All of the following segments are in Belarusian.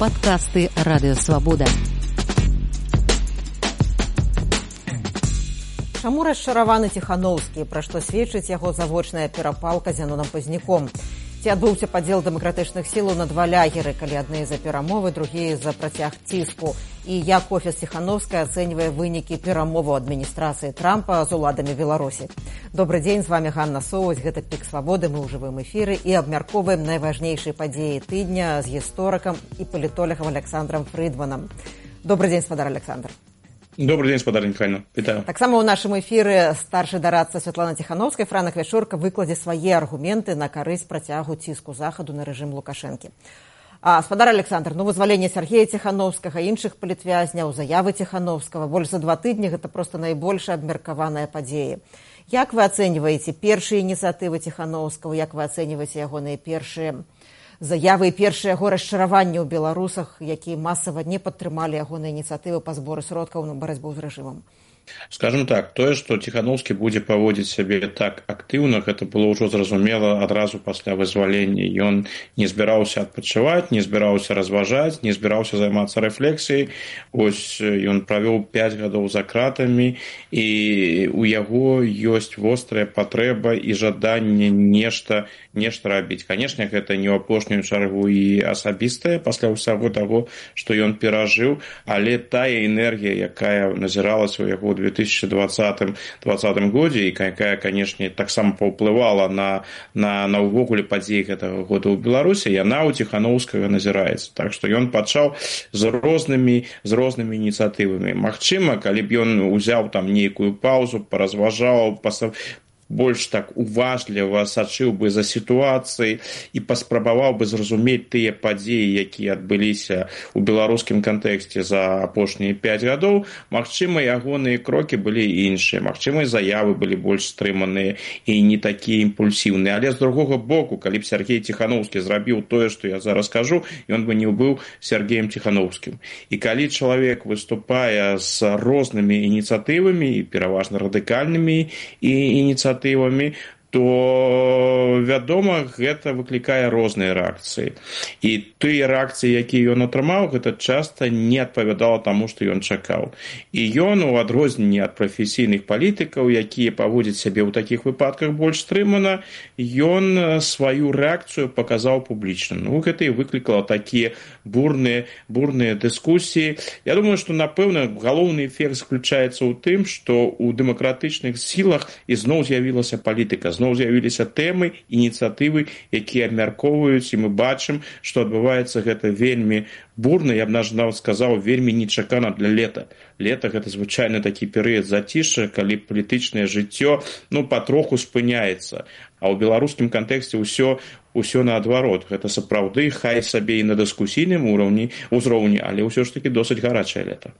Падкасты Радыёвабода. Чаму расчараваны Ціханаўскі, пра што сведчыць яго завочная перапалка з Янонам Пазняком? Ці адбыўся падзел дэмакратычных сілаў на два лягеры, калі адны за перамовы, другія за працяг ціску? І як офіс Ціханаўскай ацэньвае вынікі перамоваў адміністрацыі Трампа з уладамі Беларусі? Добрый дзень, з вами Ганна Соўваць, гэта «Пік свабоды», мы ў жывым эфіры і абмяркоўваем найважнейшыя падзеі тыдня з гісторыкам і палітолагам Александром Фрыдманам. Добрый дзень, спадар Александр. Добрый день, спадар Михайло. Вітаю. Таксама ў нашым эфіры старшы дарадца Святлана Ціханаўскай Франак Вячорка выкладзе свае аргументы на карысць працягу ціску захаду на рэжым Лукашэнкі. Спадар Александр, вызваленне Сергея Ціханаўскага, іншых палітвязняў, заявы Ціханаўскага, больш за 2 тыдні гэта проста найбольш абмеркаваныя падзеі. Як вы ацэньваеце першыя ініцыятывы Ціханаўскага, як вы ацэньваеце ягоныя першыя заявы і першае яго расчараванне ў беларусах, якія масава не падтрымалі ягоныя ініцыятывы па зборы сродкаў на барацьбу з рэжымам? Скажем так, тое, што Ціханаўскі будзе паводзіць сябе так актыўна, гэта было ўжо зразумела адразу пасля вызвалення. Ён не збіраўся адпачываць, не збіраўся разважаць, не збіраўся займацца рэфлексіяй. Вось ён правёў 5 гадоў за кратамі, і у яго ёсць вострая патрэба і жаданне нешта рабіць. Канешне, гэта не ў апошнюю чаргу і асабістае пасля ўсяго таго, што ён перажыў, але тая энергія, якая назіралася ў яго ў 2020 годзе, і якая, канешне, таксама паўплывала на ўвогуле падзеі гэтага года ў Беларусі, яна ў Ціханаўскага назіраецца. Так што ён пачаў з рознымі ініцыятывамі. Магчыма, калі б ён узяў там нейкую паўзу, паразважаў, больш так уважліва сачыў бы за сітуацыяй і паспрабаваў бы зразумець тыя падзеі, якія адбыліся ў беларускім кантэксце за апошнія 5 гадоў, магчыма, ягоныя крокі былі іншыя, магчыма, заявы былі больш стрыманыя і не такія імпульсіўныя. Але з другога боку, калі б Сергей Ціханаўскі зрабіў тое, што я зараз кажу, ён бы не быў Сергеем Ціханаўскім. І калі чалавек выступае з рознымі ініцыятывамі, і пераважна радыкальнымі ініцыятывамі, то, вядома, гэта выклікае розныя рэакцыі. І тыя рэакцыі, якія ён атрымаў, гэта часта не адпавядала таму, што ён чакаў. І ён, у адрозненні ад прафесійных палітыкаў, якія паводзяць сябе ў такіх выпадках больш стрымана, ён сваю рэакцыю паказаў публічна. Гэта і выклікала такія бурныя дыскусіі. Я думаю, што, напэўна, галоўны эфект заключаецца ў тым, што ў дэмакратычных сілах ізноў з'явілася палітыка, зноў з'явіліся тэмы, ініцыятывы, якія абмяркоўваюць, і мы бачым, што адбываецца гэта вельмі бурна, я б нават сказаў, вельмі нечакана для лета. Лета – гэта звычайна такі перыяд зацішша, калі палітычнае жыццё патроху спыняецца. А ў беларускім кантэксце ўсё наадварот. Гэта сапраўды, хай сабе і на дыскусійным узроўні, але ўсё ж такі досыць гарачае лета.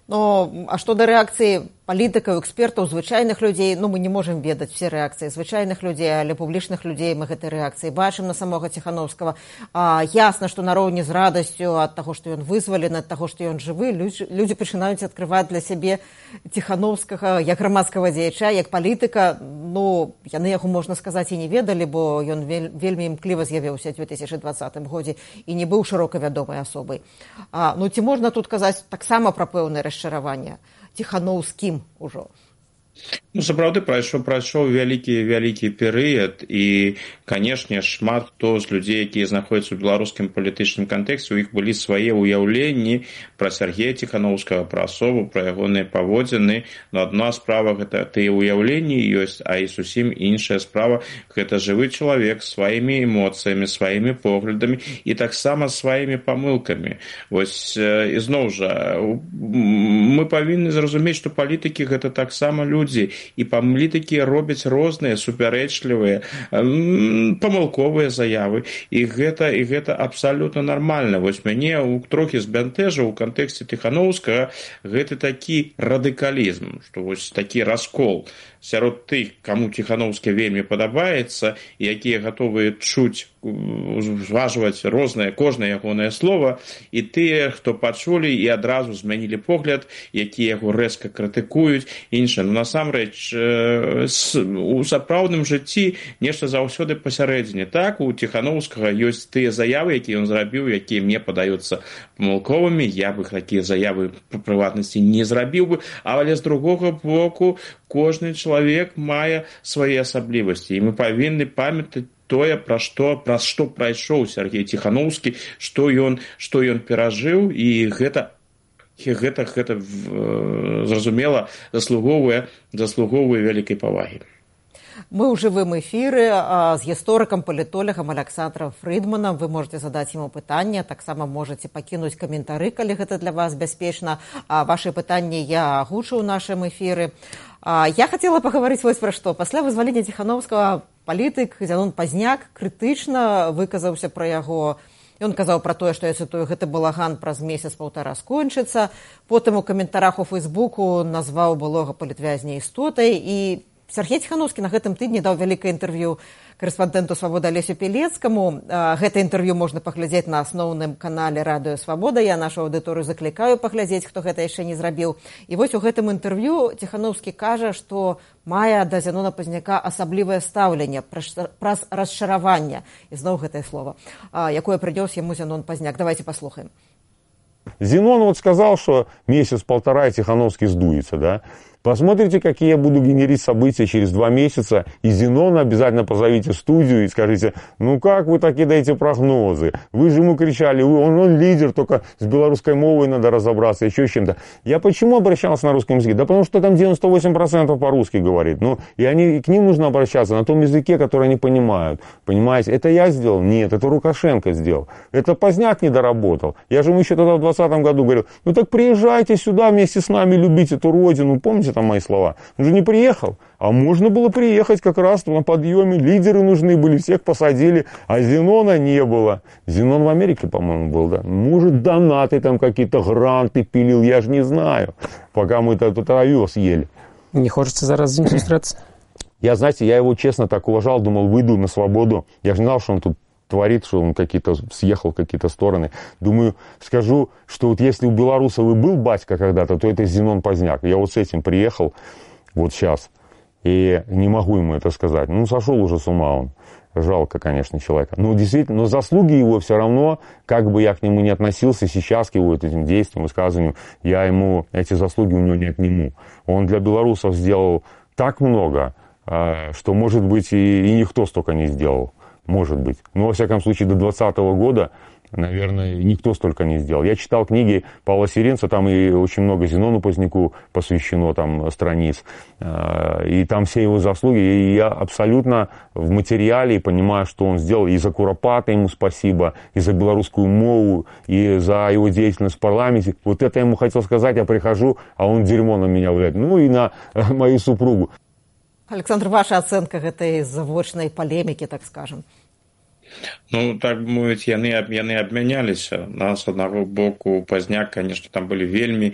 А што да рэакцыі палітыкаў, экспертаў, звычайных людзей, мы не можам ведаць все рэакцыі звычайных людзей, але публічных людзей мы гэтай рэакцыі бачым на самога Ціханаўскага. Ясна, што нароўні з радасцю ад таго, што ён вызвалены, ад таго, што ён жывы, людзі пачынаюць адкрываць для сябе Ціханаўскага як грамадскага дзеяча, як палітыка. Яны яго, можна сказаць, і не ведалі, бо ён вельмі імкліва з'явіўся ў 2020 годзе і не быў шырока вядомай асобай. Ці можна тут казаць таксама пра пэўнае расчараванне Ціханаўскім ужо? Сапраўды прайшоў вялікі перыяд, і, канешне, шмат хто з людзей, якія знаходзяцца ў беларускім палітычным кантэксце, у іх былі свае ўяўленні пра Сергея Ціханаўскага, пра асобу, пра ягоныя паводзіны. Но адна справа гэта тыя ўяўленні ёсць, а і зусім іншая справа гэта жывы чалавек з сваімі эмоцыямі, сваімі поглядамі і таксама сваімі памылкамі. Вось, ізноў жа, мы павінны зразумець, што палітыкі гэта таксама людзі, і палітыкі робяць розныя супярэчлівыя, памылковыя заявы, і гэта абсалютна нармальна. Вось мяне трохі збянтэжыў у кантэксце Ціханаўскага гэты такі радыкалізм, што вось такі раскол сярод тых, каму Ціханаўскі вельмі падабаецца, якія гатовыя чуць, зважваць рознае, кожнае ягонае слова, і тыя, хто пачулі і адразу змянілі погляд, якія яго рэзка крытыкуюць, іншае. насамрэч у сапраўдным жыцці нешта заўсёды пасярэдзіне. Так, у Ціханаўскага ёсць тыя заявы, якія ён зрабіў, якія мне падаюцца памылковымі, я бы такія заявы па прыватнасці не зрабіў бы, але з другога боку кожны чалавек мае свае асаблівасці, і мы павінны памятаць тое, праз што прайшоў Сергей Ціханаўскі, што ён перажыў, і гэта зразумела заслугоўвае вялікай павагі. Мы ў жывым эфіры з гісторыкам, палітолагам Александром Фрыдманам. Вы можете задаць яму пытанне, таксама можете пакінуць каментары, калі гэта для вас бяспечна. Вашы пытанні я агучу ў нашым эфіры. Я хацела пагаварыць вось пра што. Пасля вызвалення Ціханаўскага палітык Зянон Пазняк крытычна выказаўся пра яго. Ён казаў пра тое, што, я цытую, гэты балаган праз месяц-паўтара скончыцца. Потым у каментарах у Фейсбуку назваў былога палітвязня істотай. І Сергей Ціханаўскі на гэтым тыдні даў вялікае інтэрв'ю корэспандэнту «Свабоды» Алесю Пілецкаму. Гэта інтэрв'ю можна паглядзець на асноўным канале «Радыё Свабода». Я нашу аўдыторыю заклікаю паглядзець, хто гэта яшчэ не зрабіў. І вось у гэтым інтэрв'ю Ціханаўскі кажа, што мае да Зянона Пазняка асаблівае стаўленне праз расчараванне. І зноў гэтае слово, якое прынёс яму Зянон Пазняк. Давайте послухаем. Зенон вот сказал, что месяц-полтора и Тихановский сдуется, да? Посмотрите, какие я буду генерить события через 2 месяца, и Зенона обязательно позовите в студию и скажите, ну как вы так кидаете прогнозы? Вы же ему кричали, он лидер, только с белорусской мовой надо разобраться, еще с чем-то. Я почему обращался на русском языке? Да потому что там 98% по-русски говорит. Ну, и к ним нужно обращаться на том языке, который они понимают. Понимаете, это я сделал? Нет, это Лукашенко сделал. Это Пазняк не доработал. Я же ему еще тогда в 2020 году говорил, ну так приезжайте сюда вместе с нами любить эту родину. Помните там мои слова? Он же не приехал. А можно было приехать как раз на подъеме. Лидеры нужны были, всех посадили. А Зенона не было. Зенон в Америке, по-моему, был, да? Может, донаты там какие-то, гранты пилил, я же не знаю. Пока мы тут овес ели. Не хочется зараз с ним встречаться? Я, знаете, я его честно так уважал, думал, выйду на свободу. Я же не знал, что он тут творит, что он съехал в какие-то стороны. Думаю, скажу, что вот если у белорусов и был батька когда-то, то это Зенон Пазняк. Я вот с этим приехал вот сейчас. И не могу ему это сказать. Ну, сошел уже с ума он. Жалко, конечно, человека. Но действительно, но заслуги его все равно, как бы я к нему не относился сейчас, к его этим действиям, высказываниям, я ему эти заслуги у него не отниму. Он для белорусов сделал так много, что, может быть, и никто столько не сделал. Может быть. Но, во всяком случае, до 2020 года, наверное, никто столько не сделал. Я читал книги Павла Сиренца, там и очень много Зенону Пазняку посвящено там страниц. И там все его заслуги. И я абсолютно в материале и понимаю, что он сделал. И за Куропата ему спасибо, и за белорусскую мову, и за его деятельность в парламенте. Вот это я ему хотел сказать, я прихожу, а он дерьмо на меня валяет. Ну и на мою супругу. Александр, ваша ацэнка гэтай завочнай палемікі, так скажем? Ну, так бы мовіць, яны абмяняліся. Нас, з аднаго боку, Пазняк, конечно, там былі вельмі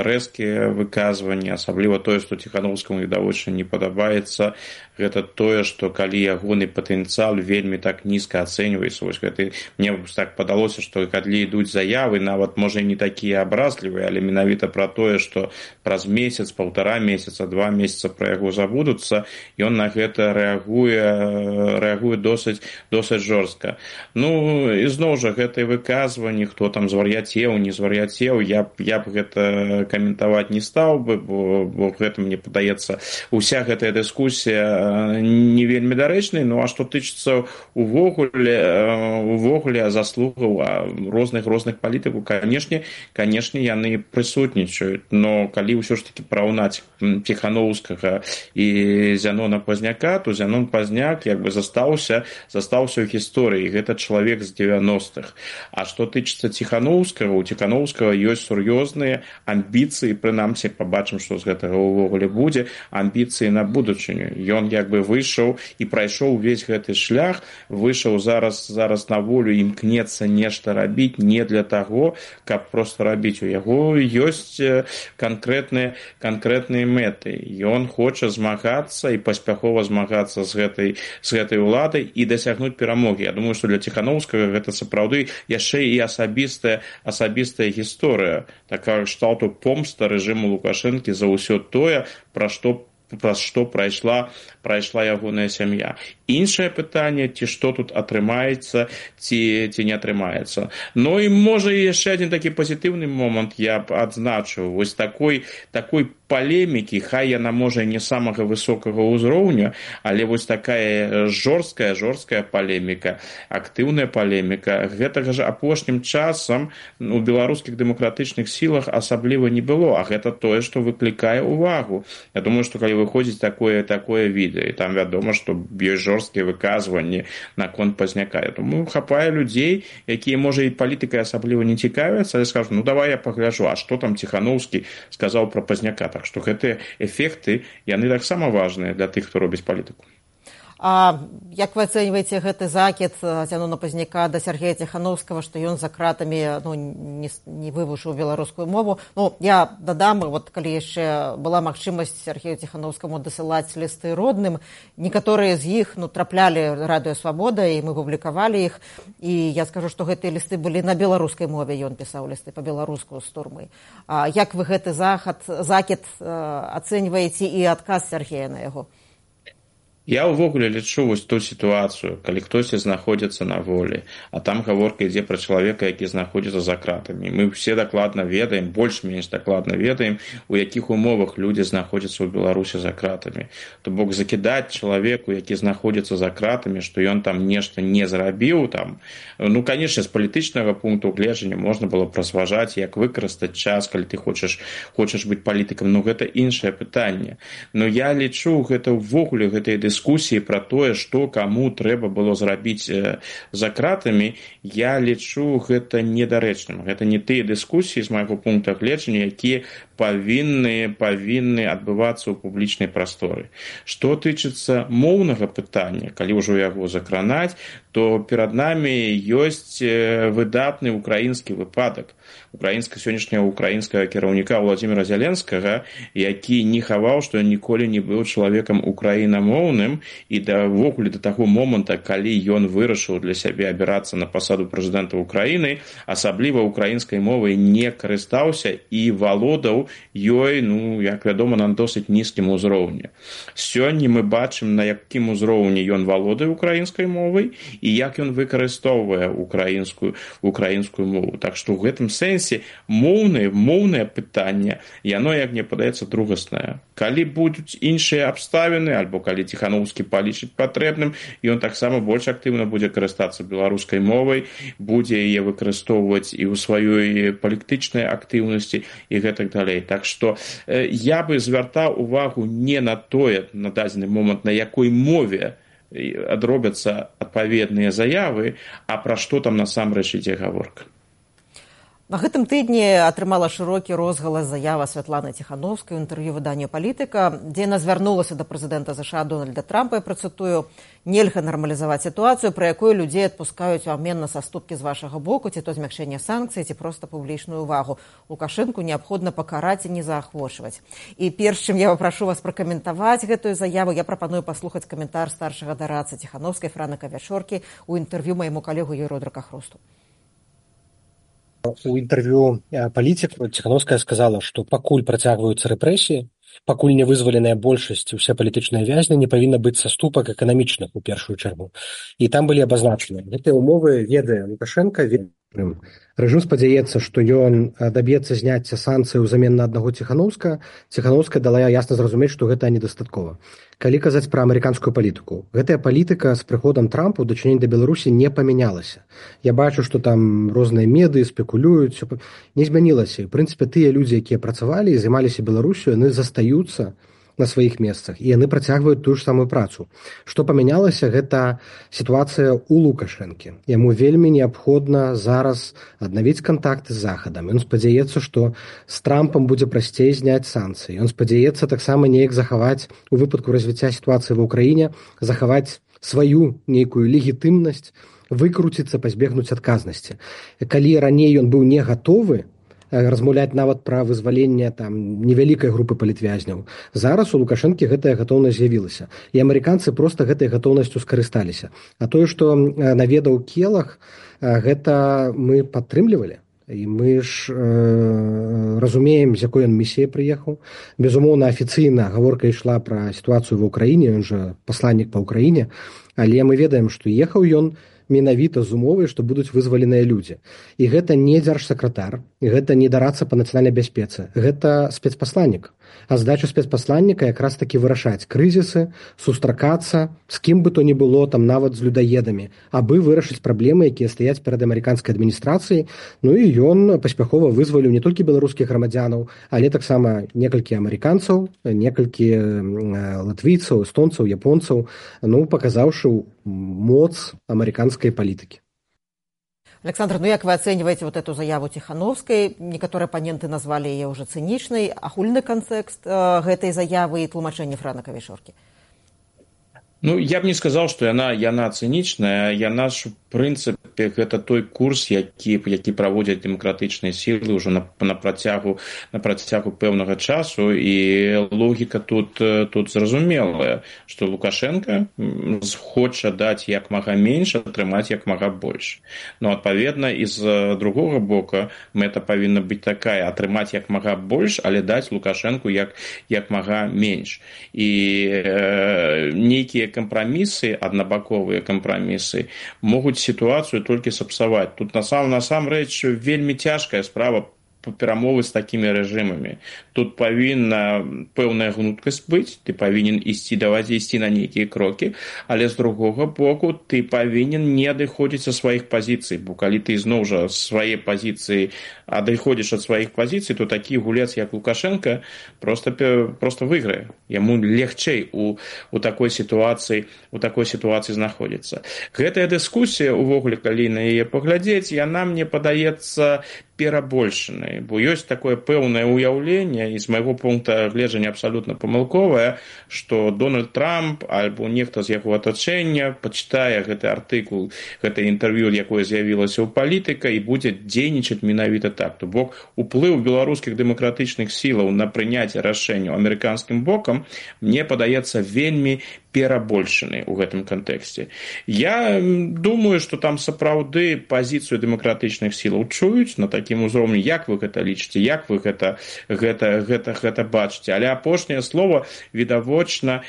рэзкія выказванні, асабліва тое, што Ціханаўскаму відавочна не падабаецца. Гэта тое, што калі ягоны патэнцыял вельмі так нізка ацэньваецца, вось гэта мне так падалося, што калі ідуць заявы, нават можа і не такія абразлівыя, але менавіта пра тое, што праз месяц, 1,5 месяца, 2 месяца пра яго забудуцца, ён на гэта рэагуе досыць жорстка. Ну, і зноў жа, гэтыя выказванні, хто там звар'яцеў, не звар'яцеў, я б гэта каментаваць не стаў бы, бо гэта, мне падаецца, уся гэтая дыскусія не вельмі дарэчнай. Ну, а што тычыцца увогуле заслугаў розных палітыкаў, канешне, яны прысутнічаюць. Но калі ўсё ж такі параўнаць Ціханаўскага і Зянона Пазняка, то Зянон Пазняк як бы застаўся ў гісторыі. Гэта чалавек з 90-х. А што тычыцца Ціханаўскага, у Ціханаўскага ёсць сур'ёзныя амбіцыі, прынамсі, пабачым, што з гэтага ўвогуле будзе, амбіцыі на будучыню. Ён як бы выйшаў і прайшоў увесь гэты шлях, выйшаў зараз на волю, імкнецца нешта рабіць не для таго, каб проста рабіць. У яго ёсць канкрэтныя мэты. Ён хоча змагацца і паспяхова змагацца з гэтай уладай, і дасягнуць перамогі. Я думаю, што для Ціханаўскага гэта сапраўды яшчэ і асабістая гісторыя, такая кшталту помста рэжыму Лукашэнкі за ўсё тое, праз што прайшла ягоная сям'я. Іншае пытанне, ці што тут атрымаецца, ці не атрымаецца. Ну і можа яшчэ адзін такі пазітыўны момант я б адзначыў. Вось такой палемікі, хай яна можа не самага высокага ўзроўня, але вось такая жорсткая палеміка, актыўная палеміка, гэтага ж апошнім часам у беларускіх дэмакратычных сілах асабліва не было, а гэта тое, што выклікае ўвагу. Я думаю, што калі выходзіць такое відэа, і там вядома, што ёсць жорсткія выказванні наконт Пазняка. Я думаю, хапае людзей, якія, можа, і палітыкай асабліва не цікавяцца, але скажу, ну давай я пагляджу, а што там Ціханаўскі сказаў пра Пазняка. Так што гэтыя эфекты, яны таксама важныя для тых, хто робіць палітыку. А як вы ацэньваеце гэты закід Зянона Пазняка да Сяргея Ціханаўскага, што ён за кратамі не вывучыў беларускую мову? Ну, я дадам, вот калі яшчэ была магчымасць Сяргею Ціханаўскаму дасылаць лісты родным, некаторыя з іх траплялі Радыё Свабода, і мы публікавалі іх, і я скажу, што гэтыя лісты былі на беларускай мове, ён пісаў лісты па-беларуску з турмы. А як вы гэты закід ацэньваеце і адказ Сяргея на яго? Я ўвогуле лічу вось ту сітуацыю, калі хтосьці знаходзіцца на волі, а там гаворка ідзе пра чалавека, які знаходзіцца за кратамі. Мы ўсе дакладна ведаем, больш-менш дакладна ведаем, у якіх умовах людзі знаходзяцца ў Беларусі за кратамі. То бок закідаць чалавеку, які знаходзіцца за кратамі, што ён там нешта не зрабіў, там, ну, канешне, з палітычнага пункту гледжання можна было разважаць, як выкарыстаць час, калі ты хочаш быць палітыкам, но гэта іншае пытанне. Но я лічу гэта ўвогуле гэтай дыскусіі пра тое, што каму трэба было зрабіць за кратамі, я лічу гэта недарэчным. Гэта не тыя дыскусіі з майго пункта гледжання, якія павінны адбывацца ў публічнай прасторы. Што тычыцца моўнага пытання, калі ўжо яго закранаць, то перад намі ёсць выдатны украінскі выпадак. Сённяшняга украінскага кіраўніка Владзіміра Зяленскага, які не хаваў, што ён ніколі не быў чалавекам украінамоўным, і ўвогуле да таго моманта, калі ён вырашыў для сябе абірацца на пасаду прэзідэнта Украіны, асабліва украінскай мовай не карыстаўся і валодаў ёй, ну, як вядома, на досыць нізкім узроўні. Сёння мы бачым, на якім узроўні ён валодае украінскай мовай і як ён выкарыстоўвае украінскую мову. Так што ў гэтым сэнсе моўнае пытанне, яно, як мне падаецца, другаснае. Калі будуць іншыя абставіны, альбо калі Ціханаўскі палічыць патрэбным, ён таксама больш актыўна будзе карыстацца беларускай мовай, будзе яе выкарыстоўваць і ў сваёй палітычнай актыўнасці і гэтак далей. Так што я бы звяртаў увагу не на тое, на дадзены момант, на якой мове адробяцца адпаведныя заявы, а пра што там насамрэч ідзе гаворка. На гэтым тыдні атрымала шырокі розгалас заява Святланы Ціханаўскай у інтэрв'ю выданню «Палітыка», дзе яна звярнулася да прэзідэнта США Дональда Трампа, я працытую: «Нельга нармалізаваць сітуацыю, пры якой людзей адпускаюць у абмен на саступкі з вашага боку, ці то змякчэнне санкцый, ці проста публічную ўвагу. Лукашэнку неабходна пакараць і не заахвочваць». І перш чым я папрашу вас пракаментаваць гэтую заяву, я прапаную паслухаць каментар старшага дарадцы Ціханаўскай Франыка Вячоркі у інтэрв'ю майму калегу Юрыю Дракахрусту. У інтэрв'ю «Палітык» Ціханаўская сказала, што пакуль працягваюцца рэпрэсіі, пакуль не вызваленая большасць, усе палітычныя вязні, не павінна быць саступак эканамічных у першую чаргу. І там былі абазначаны. Гэтыя ўмовы ведае Лукашенка. Рэжым спадзяецца, што ён даб'ецца зняцця санкцый узамен на аднаго Ціханаўскага. Ціханаўская дала ясна зразумець, што гэта недастаткова. Калі казаць пра амерыканскую палітыку, гэтая палітыка з прыходам Трампа ў дачыненні да Беларусі не памянялася. Я бачу, што там розныя медыі спекулююць, не змянілася. У прынцыпе, тыя людзі, якія працавалі і займаліся Беларусю, яны застаюцца на сваіх месцах, і яны працягваюць тую ж самую працу. Што памянялася, гэта сітуацыя ў Лукашэнкі. Яму вельмі неабходна зараз аднавіць кантакты з Захадам. Ён спадзяецца, што з Трампам будзе прасцей зняць санкцыі. Ён спадзяецца таксама неяк захаваць, у выпадку развіцця сітуацыі ва ўкраіне, захаваць сваю нейкую легітымнасць, выкруціцца, пазбегнуць адказнасці. Калі раней ён быў не гатовы размаўляць нават пра вызваленне там невялікай групы палітвязняў. Зараз у Лукашэнкі гэтая гатоўнасць з'явілася. І амерыканцы проста гэтай гатоўнасцю скарысталіся. А тое, што наведаў Келах, гэта мы падтрымлівалі. І мы ж разумеем, з якой ён місіяй прыехаў. Безумоўна, афіцыйна гаворка ішла пра сітуацыю ва ўкраіне, ён жа пасланнік па ўкраіне, але мы ведаем, што ехаў ён менавіта з умовай, што будуць вызваленыя людзі. І гэта не дзяржсакратар, гэта не дарадца па нацыянальнай бяспецы, гэта спецпасланнік. А задача спецпасланніка якраз такі вырашаць крызісы, сустракацца з кім бы то ні было, там нават з людаедамі, абы вырашыць праблемы, якія стаяць перад амерыканскай адміністрацыяй. Ну і ён паспяхова вызваліў не толькі беларускіх грамадзянаў, але таксама некалькі амерыканцаў, некалькі латвійцаў, эстонцаў, японцаў, ну, паказаўшы моц амерыканскай палітыкі. Александр, ну як вы оцениваете вот эту заяву Тихановской? Некоторые оппоненты назвали ее уже циничной. Агульны контекст гэтай заявы и тлумачэнне Франа Кавішоркі? Ну, я б не сказаў, што яна цынічная, яна ж у прынцыпе гэта той курс, які праводзяць дэмакратычныя сілы ўжо на працягу пэўнага часу, і логіка тут зразумелая, што Лукашенко хоча даць як мага менш, атрымаць як мага больш. Ну, адпаведна, і з другога боку мэта павінна быць такая: атрымаць як мага больш, але даць Лукашенку як мага менш. І нейкія кампрамісы, аднабаковыя кампрамісы, могуць сітуацыю толькі сапсаваць. Тут насамрэч вельмі цяжкая справа перамовы з такімі рэжымамі. Тут павінна пэўная гнуткасць быць, ты павінен ісці на нейкія крокі, але з другога боку ты павінен не адыходзіць ад сваіх пазіцый, бо калі ты зноў жа свае пазіцыі адыходзіш ад сваіх пазіцый, то такі гулец, як Лукашенко, просто выйграе. Яму легчэй у такой сітуацыі знаходзіцца. Гэтая дыскусія, увогуле, калі на яе паглядзець, яна, мне падаецца, перабольшанай, бо ёсць такое пэўнае ўяўленне, і з майго пункта гледжання абсалютна памылковае, што Дональд Трамп альбо нехта з яго атачэння пачытае гэты артыкул, гэта інтэрв'ю, якое з'явілася ў палітыка, і будзе дзейнічаць менавіта так. То бок уплыў беларускіх дэмакратычных сілаў на прыняцце рашэнняў амерыканскім бокам, мне падаецца, вельмі перабольшаны ў гэтым кантэксце. Я думаю, што там сапраўды пазіцыю дэмакратычных сілаў чуюць на такім узроўні. Як вы гэта лічыце, як вы гэта бачыце? Але апошняе слово відавочна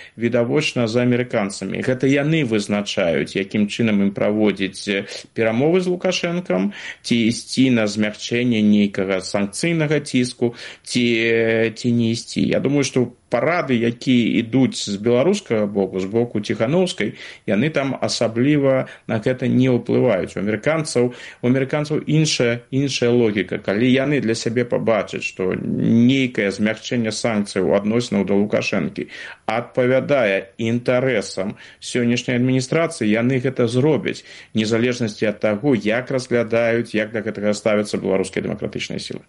за амерыканцамі. Гэта яны вызначаюць, якім чынам ім праводзіць перамовы з Лукашэнкам, ці ісці на змягчэнне нейкага санкцыйнага ціску, ці не ісці. Я думаю, што парады, якія ідуць з беларускага боку, з боку Тихановскай, яны там асабліва на гэта не ўплываюць. У амерыканцаў іншая логіка. Калі яны для сябе пабачаць, што нейкае змягчэнне санкцыяў адносінаў да Лукашэнкі адпавядае інтарэсам сённяшняй адміністрацыі, яны гэта зробяць, незалежнасці ад таго, як разглядаюць, як да гэтага ставяцца беларускія дэмакратычныя сілы.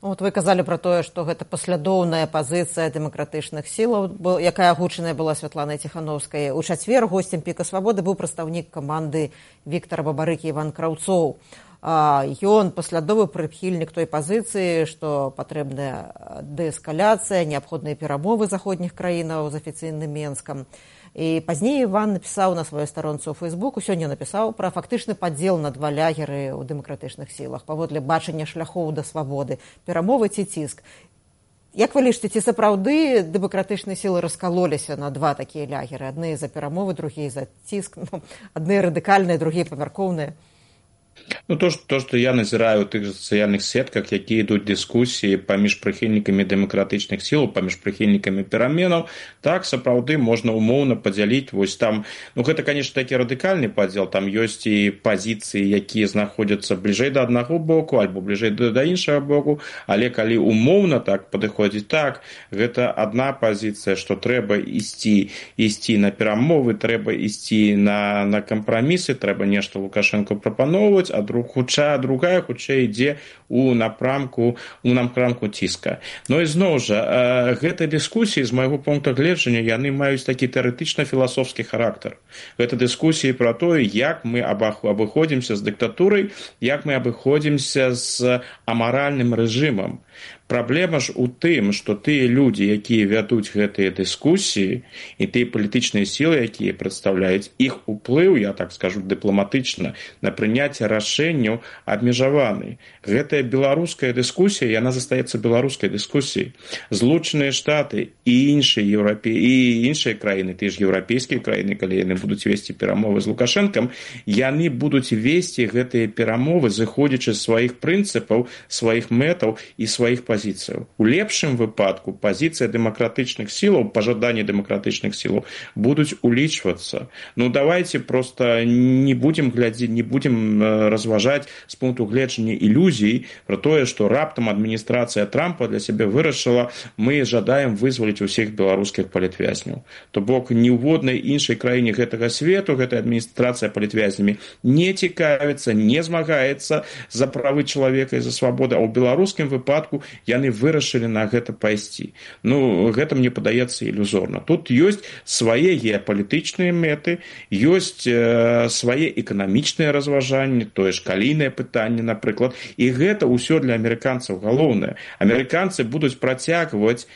Вот вы казалі пра тое, што гэта паслядоўная пазіцыя дэмакратычных сілаў, якая агучаная была Святланай Тихановскай. У чацвер госцем «Піка свабоды» быў прадстаўнік каманды Віктара Бабарыкі Іван Краўцоў. Ён паслядовы прыхільнік той пазіцыі, што патрэбная дээскаляцыя, неабходныя перамовы заходніх краінаў з афіцыйным Менскам. І пазней Іван напісаў на сваёй старонцы ў Фейсбуку, сёння напісаў пра фактычны падзел на два лягеры ў дэмакратычных сілах, паводле бачання шляхоў да свабоды, перамовы ці ціск. Як вы лічыце, ці сапраўды дэмакратычныя сілы раскалоліся на два такія лягеры? Адны за перамовы, другія за ціск, адны радыкальныя, другія памяркоўныя? Ну, то, што я назіраю ў тых сацыяльных сетках, якія ідуць дыскусіі паміж прыхільнікамі дэмакратычных сілаў, паміж прыхільнікамі пераменаў, так, сапраўды можна умоўна падзяліць. Вось там, ну, гэта, конечно, такі радыкальны падзел, там ёсць і пазіцыі, якія знаходзяцца бліжэй да аднаго боку, альбо бліжэй да іншага боку, але калі умоўна так падыходзіць, так, гэта адна пазіцыя, што трэба ісці на перамовы, трэба ісці на кампрамісы, трэба нешта Лукашенко прапаноўваць, а другая хутчэй ідзе у напрамку ціска. Но ізноў жа гэта дыскусіі з майго пункту гледжання яны маюць такі тэарэтычна-філасофскі характар. Гэта дыскусіі пра тое, як мы абыходзімся з дыктатурай, як мы абыходзімся з амаральным рэжымам. Праблема ж у тым, што тыя людзі, якія вядуць гэтыя дыскусіі, і тыя палітычныя сілы, якія прадстаўляюць, іх уплыў, я так скажу дыпламатычна, на прыняцце рашэнняў абмежаваны. Гэтая беларуская дыскусія, яна застаецца беларускай дыскусіяй. Злучаныя Штаты і іншыя краіны, тыя ж еўрапейскія краіны, калі яны будуць весці перамовы з Лукашэнкам, яны будуць весці гэтыя перамовы, зыходзячы з сваіх прынцыпаў, сваіх мэтаў і сваіх пазіцый. У лепшым выпадку пазіцыя дэмакратычных сілаў, пажаданні дэмакратычных сілаў будуць улічвацца. Давайте просто не будем разважаць з пункту гледжання ілюзій про тое, што раптам адміністрацыя Трампа для сябе вырашыла, мы жадаем вызваліць усіх беларускіх палітвязняў. То бок ніводнай іншай краіне гэтага свету гэтая адміністрацыя палітвязнямі не цікавіцца, не змагаецца за правы чалавека і за свабоду, а ў беларускім выпадку яны вырашылі на гэта пайсці. Гэта мне падаецца ілюзорна. Тут ёсць свае геапалітычныя мэты, ёсць свае эканамічныя разважанні, тое ж калійнае пытанне, напрыклад. І гэта ўсё для амерыканцаў галоўнае. Амерыканцы будуць працягваць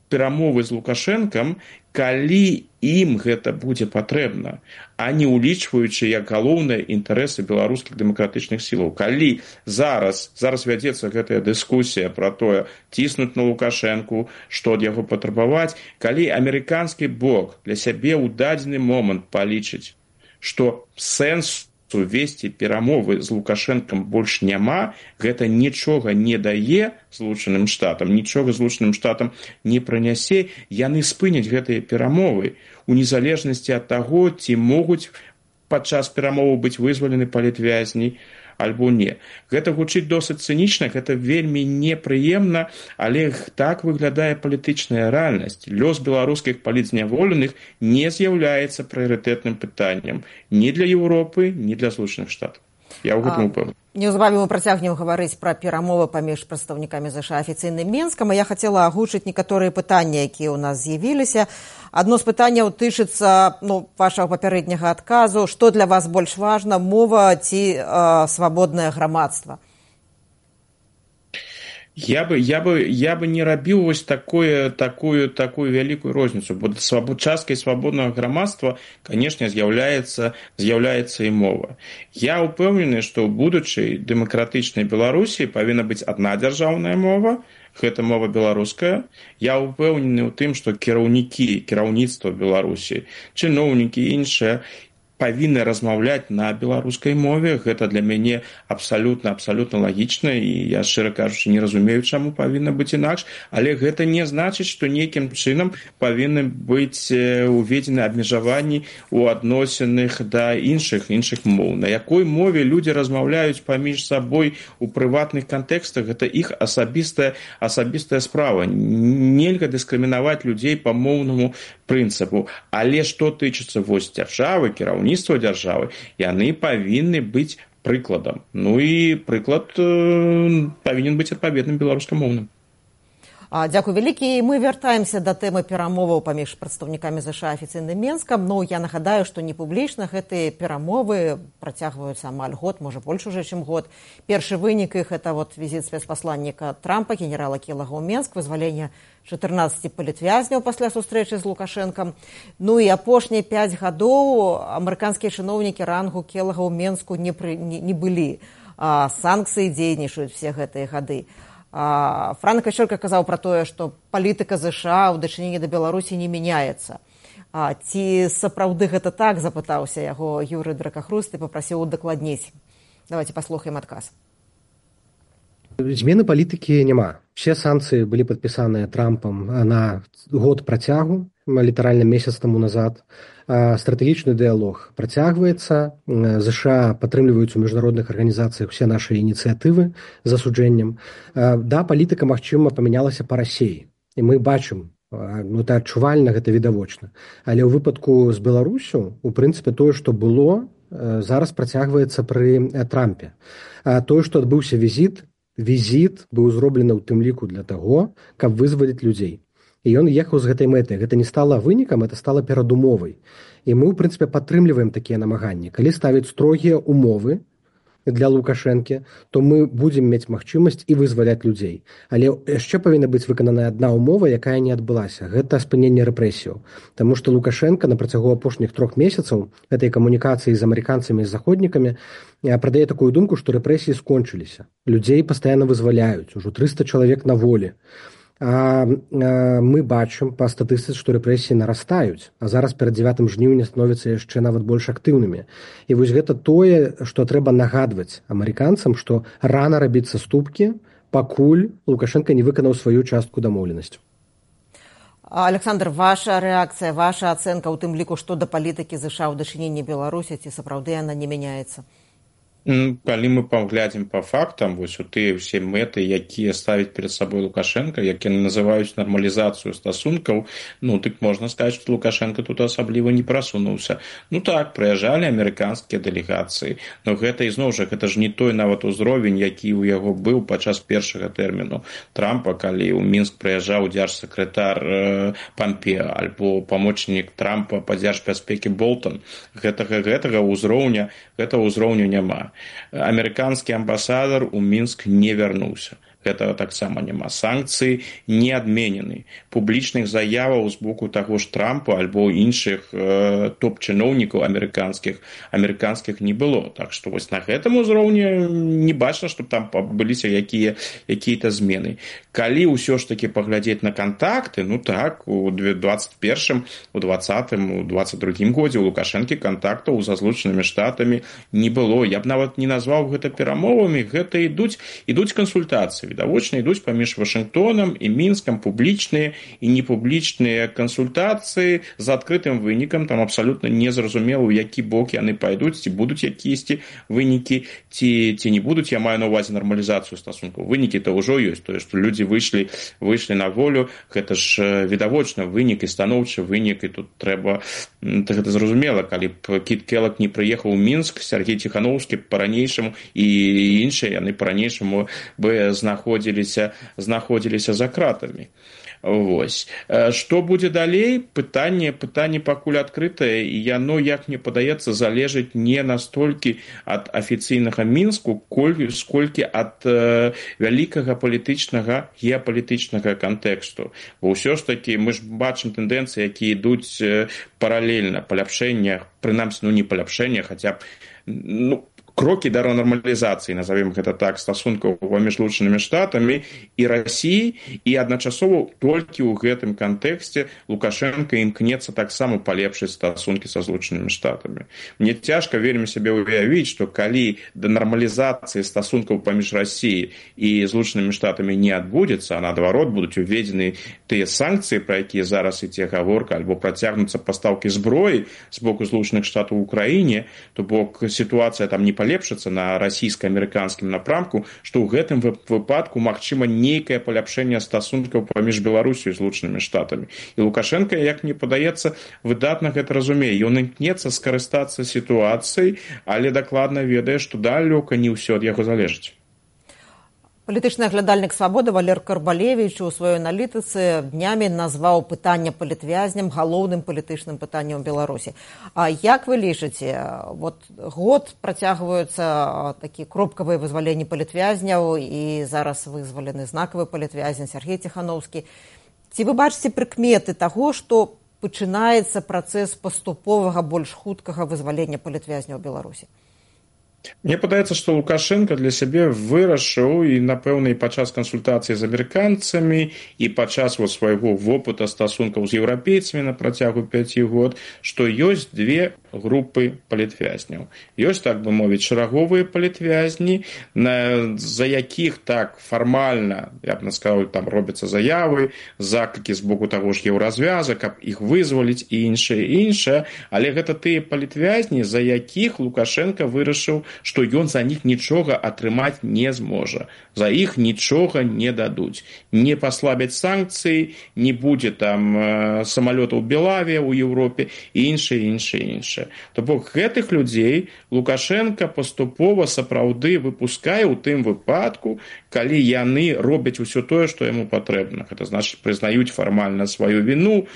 перамовы з Лукашэнкам, калі ім гэта будзе патрэбна, а не улічваючы як галоўныя інтарэсы беларускіх дэмакратычных сілаў. Калі зараз вядзецца гэтая дыскусія пра тое, ціснуць на Лукашэнку, што ад яго патрабаваць, калі амерыканскі бок для сябе ў дадзены момант палічыць, што сэнс весці перамовы з Лукашэнкам больш няма, гэта нічога не дае Злучаным Штатам, нічога Злучаным Штатам не прынясе, яны спыняць гэтыя перамовы у незалежнасці ад таго, ці могуць падчас перамоваў быць вызвалены палітвязні альбо не. Гэта гучыць досыць цынічна, гэта вельмі непрыемна, але так выглядае палітычная рэальнасць. Лёс беларускіх палітзняволеных не з'яўляецца прыярытэтным пытаннем ні для Еўропы, ні для Злучаных Штатаў. Я ў гэтым упэўнены. Неўзабаве мы працягнем гаварыць пра перамовы паміж прадстаўнікамі ЗША афіцыйным Менскам, а я хацела агучыць некаторыя пытанні, якія ў нас з'явіліся. Адно з пытанняў тычыцца вашага папярэдняга адказу. Што для вас больш важна, мова ці свабоднае грамадства? Я бы не рабіў вось такую вялікую розніцу, бо часткай свабоднага грамадства, канешне, з'яўляецца і мова. Я ўпэўнены, што ў будучай дэмакратычнай Беларусі павінна быць адна дзяржаўная мова, гэта мова беларуская. Я ўпэўнены ў тым, што кіраўніцтва Беларусі, чыноўнікі і іншыя павінны размаўляць на беларускай мове. Гэта для мяне абсалютна лагічна, і я, шчыра кажучы, не разумею, чаму павінна быць інакш, але гэта не значыць, што нейкім чынам павінны быць уведзены абмежаванні ў адносінах да іншых моў. На якой мове людзі размаўляюць паміж сабой у прыватных кантэкстах, гэта іх асабістая справа. Нельга дыскрымінаваць людзей па моўнаму прынцыпу. Але што тычыцца вось дзяржавы, кіраўніцтва дзяржавы, яны павінны быць прыкладам. І прыклад павінен быць адпаведным беларускамоўным. Дзякуй вялікі. Мы вяртаемся да тэмы перамоваў паміж прадстаўнікамі ЗША афіцыйным Менскам. Я нагадаю, што не публічна гэтыя перамовы працягваюцца амаль год, можа больш уже, чым год. Першы вынік іх – это візіт спецпасланніка Трампа, генерала Келага ў Менск, вызваленне 14 палітвязняў пасля сустрэчы з Лукашэнкам. І апошнія 5 гадоў амерыканскія чыноўнікі рангу Келага ў Менску не былі. Санкцыі дзейнічаюць все гэтыя гады. Франк Качэлка казаў пра тое, што палітыка ЗША ў дачыненні да Беларусі не мяняецца. Ці сапраўды гэта так, запытаўся яго Юрый Дракахруст і папрасіў удакладніць. Давайте паслухаем адказ. Змены палітыкі няма. Все санкцыі былі падпісаныя Трампам на год працягу, літаральна месяц таму назад. Стратэгічны дыялог працягваецца. ЗША падтрымліваюць у міжнародных арганізацыях усе нашы ініцыятывы з асуджэннем. Палітыка, магчыма, памянялася па Расіі. І мы бачым, это адчувальна, гэта відавочна. Але ў выпадку з Беларусю, у прынцыпе, тое, што было, зараз працягваецца пры Трампе. Тое, што адбыўся візіт быў зроблены ў тым ліку для таго, каб вызваліць людзей. І ён ехаў з гэтай мэтай. Гэта не стала вынікам, это стала перадумовай. І мы, ў прынцыпе, падтрымліваем такія намаганні. Калі ставіць строгія умовы для Лукашэнкі, то мы будзем мець магчымасць і вызваляць людзей. Але яшчэ павінна быць выкананая адна умова, якая не адбылася. Гэта спыненне рэпрэсіяў. Таму што Лукашенко на працягу апошніх 3 месяцаў гэтай камунікацыі з амерыканцамі і з заходнікамі прадае такую думку, што рэпрэсіі скончыліся. Людзей пастаянна вызваляюць, ужо 300 чалавек на волі. Мы бачым па статыстыцы, што рэпрэсіі нарастаюць, а зараз перад 9 жніўня становяцца яшчэ нават больш актыўнымі. І вось гэта тое, што трэба нагадваць амерыканцам, што рана рабіць саступкі, пакуль Лукашенко не выканаў сваю частку дамоўленасцю. Александр, ваша рэакцыя, ваша ацэнка ў тым ліку, што да палітыкі ЗША ў дачыненні Беларусі, ці сапраўды яна не мяняецца? Калі мы паглядзім па фактам, вось у тыя ўсе мэты, якія ставіць перад сабой Лукашенко, якія называюць нармалізацыю стасункаў, дык можна сказаць, што Лукашенко тут асабліва не прасунуўся. Так, прыязджалі амерыканскія дэлегацыі, но гэта ізноў жа, гэта ж не той нават узровень, які ў яго быў падчас першага тэрміну Трампа, калі ў Мінск прыязджаў дзяржсакратар Пампеа альбо памочнік Трампа па дзяржбяспекі Болтон. Гэтага ўзроўня няма. Амерыканскі амбасадар у Мінск не вярнуўся. Гэтага таксама няма. Санкцыі не адменены. Публічных заяваў з боку таго ж Трампа альбо іншых топ-чыноўнікаў амерыканскіх не было. Так што вось на гэтым узроўні не бачна, што там быліся якія-то змены. Калі ўсё ж такі паглядзець на кантакты, так, у 21-м, у 20-м, у 22-м годзе у Лукашэнкі кантактаў са Злучанымі Штатамі не было. Я б нават не назваў гэта перамовамі, гэта ідуць кансультацыі. Відавочна ідуць паміж Вашынгтонам і Мінскам публічныя і непублічныя кансультацыі з адкрытым вынікам. Там абсалютна незразумела, у які бок яны пайдуць, ці будуць якісьці вынікі, ці не будуць. Я маю на ўвазе нармалізацыю стасункаў. Вынікі-то ўжо ёсць. Тое, што людзі выйшлі на волю, гэта ж відавочна вынік і станоўчы вынік, і тут трэба гэта зразумела. Калі б Кіт Келлог не прыехаў у Мінск, Сергей Ціхановскі па-ранейшаму і іншыя, яны па-ранейшаму бы знаходзіліся за кратамі. Вось. Што будзе далей? Пытанне пакуль адкрытае, і яно, як мне падаецца, залежыць не настолькі ад афіцыйнага Мінску, сколькі ад вялікага геапалітычнага кантэксту. Бо ўсё ж такі мы ж бачым тэндэнцыі, якія ідуць паралельна, паляпшэння, прынамсі, не паляпшэння, хаця б крокі да нармалізацыі, назовем гэта так, стасункаў паміж Злучанымі Штатамі і Расіяй, і адначасова толькі ў гэтым кантэксце Лукашенко імкнецца таксама палепшыць стасункі са Злучанымі Штатамі. Мне цяжка вельмі сябе ўявіць, што калі да нармалізацыі стасункаў паміж Расіяй і Злучанымі Штатамі не адбудзецца, а наадварот будуць уведзены тыя санкцыі, пра якія зараз ідзе гаворка, альбо працягнуцца пастаўкі зброі з боку Злучаных Штатаў у Украіне, то бок сітуацыя там не палепшыцца на расійска-амерыканскім напрамку, што ў гэтым выпадку магчыма нейкае паляпшэнне стасункаў паміж Беларусю і Злучанымі Штатамі. І Лукашенко, як мне падаецца, выдатна гэта разумее. Ён імкнецца скарыстацца сітуацыяй, але дакладна ведае, што далёка не ўсё ад яго залежыць. Палітычны аглядальнік «Свабоды» Валер Карбалевіч у сваёй аналітыцы днямі назваў пытанне палітвязням галоўным палітычным пытаннем Беларусі. А як вы лічыце, год працягваюцца такі кропкавыя вызваленні палітвязняў, і зараз вызвалены знакавы палітвязень Сергей Ціхановскі. Ці вы бачыце прыкметы таго, што пачынаецца працэс паступовага, больш хуткага вызвалення палітвязняў Беларусі? Мне падаецца, што Лукашенко для сябе вырашыў, і, напэўна, і падчас кансультацыі з амерыканцамі, і падчас свайго вопыта стасункаў з еўрапейцамі на працягу 5 год, што ёсць две групы палітвязняў. Ёсць, так бы мовіць, шараговыя палітвязні, за якіх так фармальна, я б сказаў, там робяцца заявы, заклікі з боку таго ж еўразвяза, каб іх вызваліць і іншае, але гэта тыя палітвязні, за якіх Лукашенко вырашыў, што ён за них нічога атрымаць не зможа. За іх нічога не дадуць. Не паслабяць санкцыі, не будзе там самалётаў Белавія ў Еўропе і іншае. іншае. То бок гэтых людзей Лукашенко паступова сапраўды выпускае ў тым выпадку, калі яны робяць усё тое, што яму патрэбна. Гэта значыць, прызнаюць фармальна сваю віну,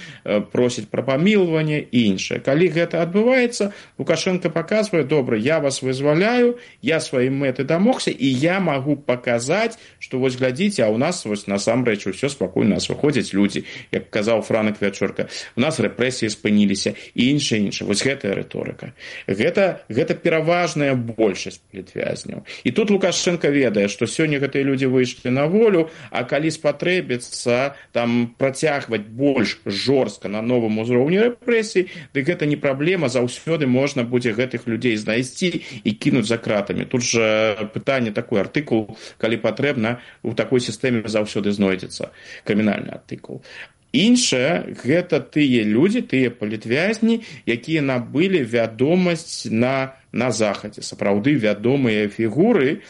просяць пра памілаванне і іншае. Калі гэта адбываецца, Лукашенко паказвае: добра, я вас вызваляю, я сваёй мэты дамогся, і я магу паказаць, што вось глядзіце, а ў нас вось насамрэч усё спакойна, нас выходзяць людзі, як казаў Франак Вячорка, у нас рэпрэсіі спыніліся і іншае. Вось гэтая рыторыка. Гэта пераважная большасць палітвязняў. І тут Лукашенко ведае, што сёння гэтыя людзі выйшлі на волю, а калі спатрэбіцца там працягваць больш жорстка на новым узроўні рэпрэсій, дык гэта не праблема, заўсёды можна будзе гэтых людзей знайсці і кінуць за кратамі. Тут жа пытанне, такой артыкул, калі патрэбна, у такой сістэме заўсёды знойдзецца крымінальны артыкул. Іншае, гэта тыя людзі, тыя палітвязні, якія набылі вядомасць на захадзе, сапраўды вядомыя фігуры.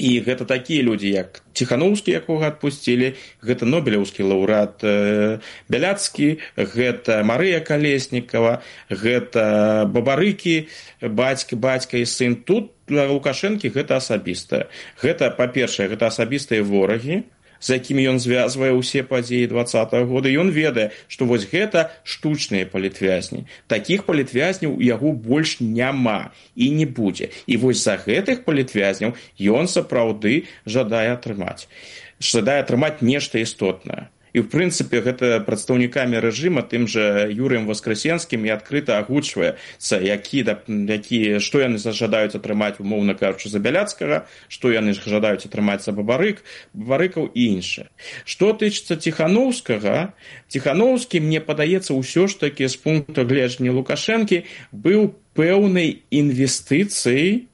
І гэта такія людзі, як Ціханаўскі, якога адпусцілі, гэта нобелеўскі лаўрэат Бяляцкі, гэта Марыя Калеснікава, гэта Бабарыкі, бацька і сын. Тут для Лукашэнкі гэта асабістае. Гэта, па-першае, гэта асабістыя ворагі, з якімі ён звязвае ўсе падзеі 20-го года. Ён ведае, што вось гэта штучныя палітвязні. Такіх палітвязняў у яго больш няма і не будзе. І вось за гэтых палітвязняў ён сапраўды жадае атрымаць нешта істотнае. І, в прынцыпе, гэта прадстаўнікамі рэжыма, тым жа Юрыем Воскресенскім і адкрыта агучваецца, што яны жадаюць атрымаць, умоўна кажучы, за Бяляцкага, што яны жадаюць атрымаць за Бабарыкаў і іншае. Што тычыцца Ціханаўскага, Ціханаўскі, мне падаецца, ўсё ж такі з пункту гледжання Лукашэнкі быў пэўнай інвестыцыяй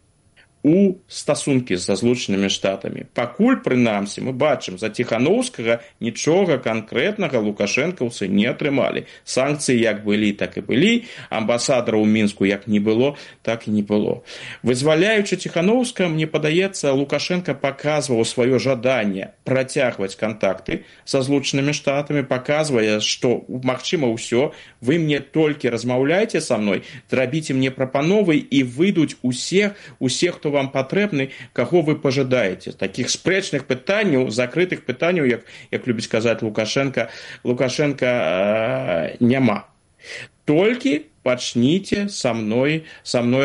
у стасункі са Злучанымі Штатамі. Пакуль, прынамсі, мы бачым, за Ціханаўскага нічога канкрэтнага лукашэнкаўцы не атрымалі. Санкцыі як былі, так і былі, амбасадараў у Мінску як не было, так і не было. Вызваляючы Ціханаўскага, мне падаецца, Лукашенко паказваў сваё жаданне працягваць кантакты са Злучанымі Штатамі, паказвае, што магчыма ўсё, вы мне толькі размаўляйце са мной, рабіце мне прапановы, і выйдуць усе, хто вам патрэбны, каго вы пажадаеце. Такіх спрэчных пытанняў, закрытых пытанняў, як любіць казаць Лукашенко, няма. Толькі пачніце са мной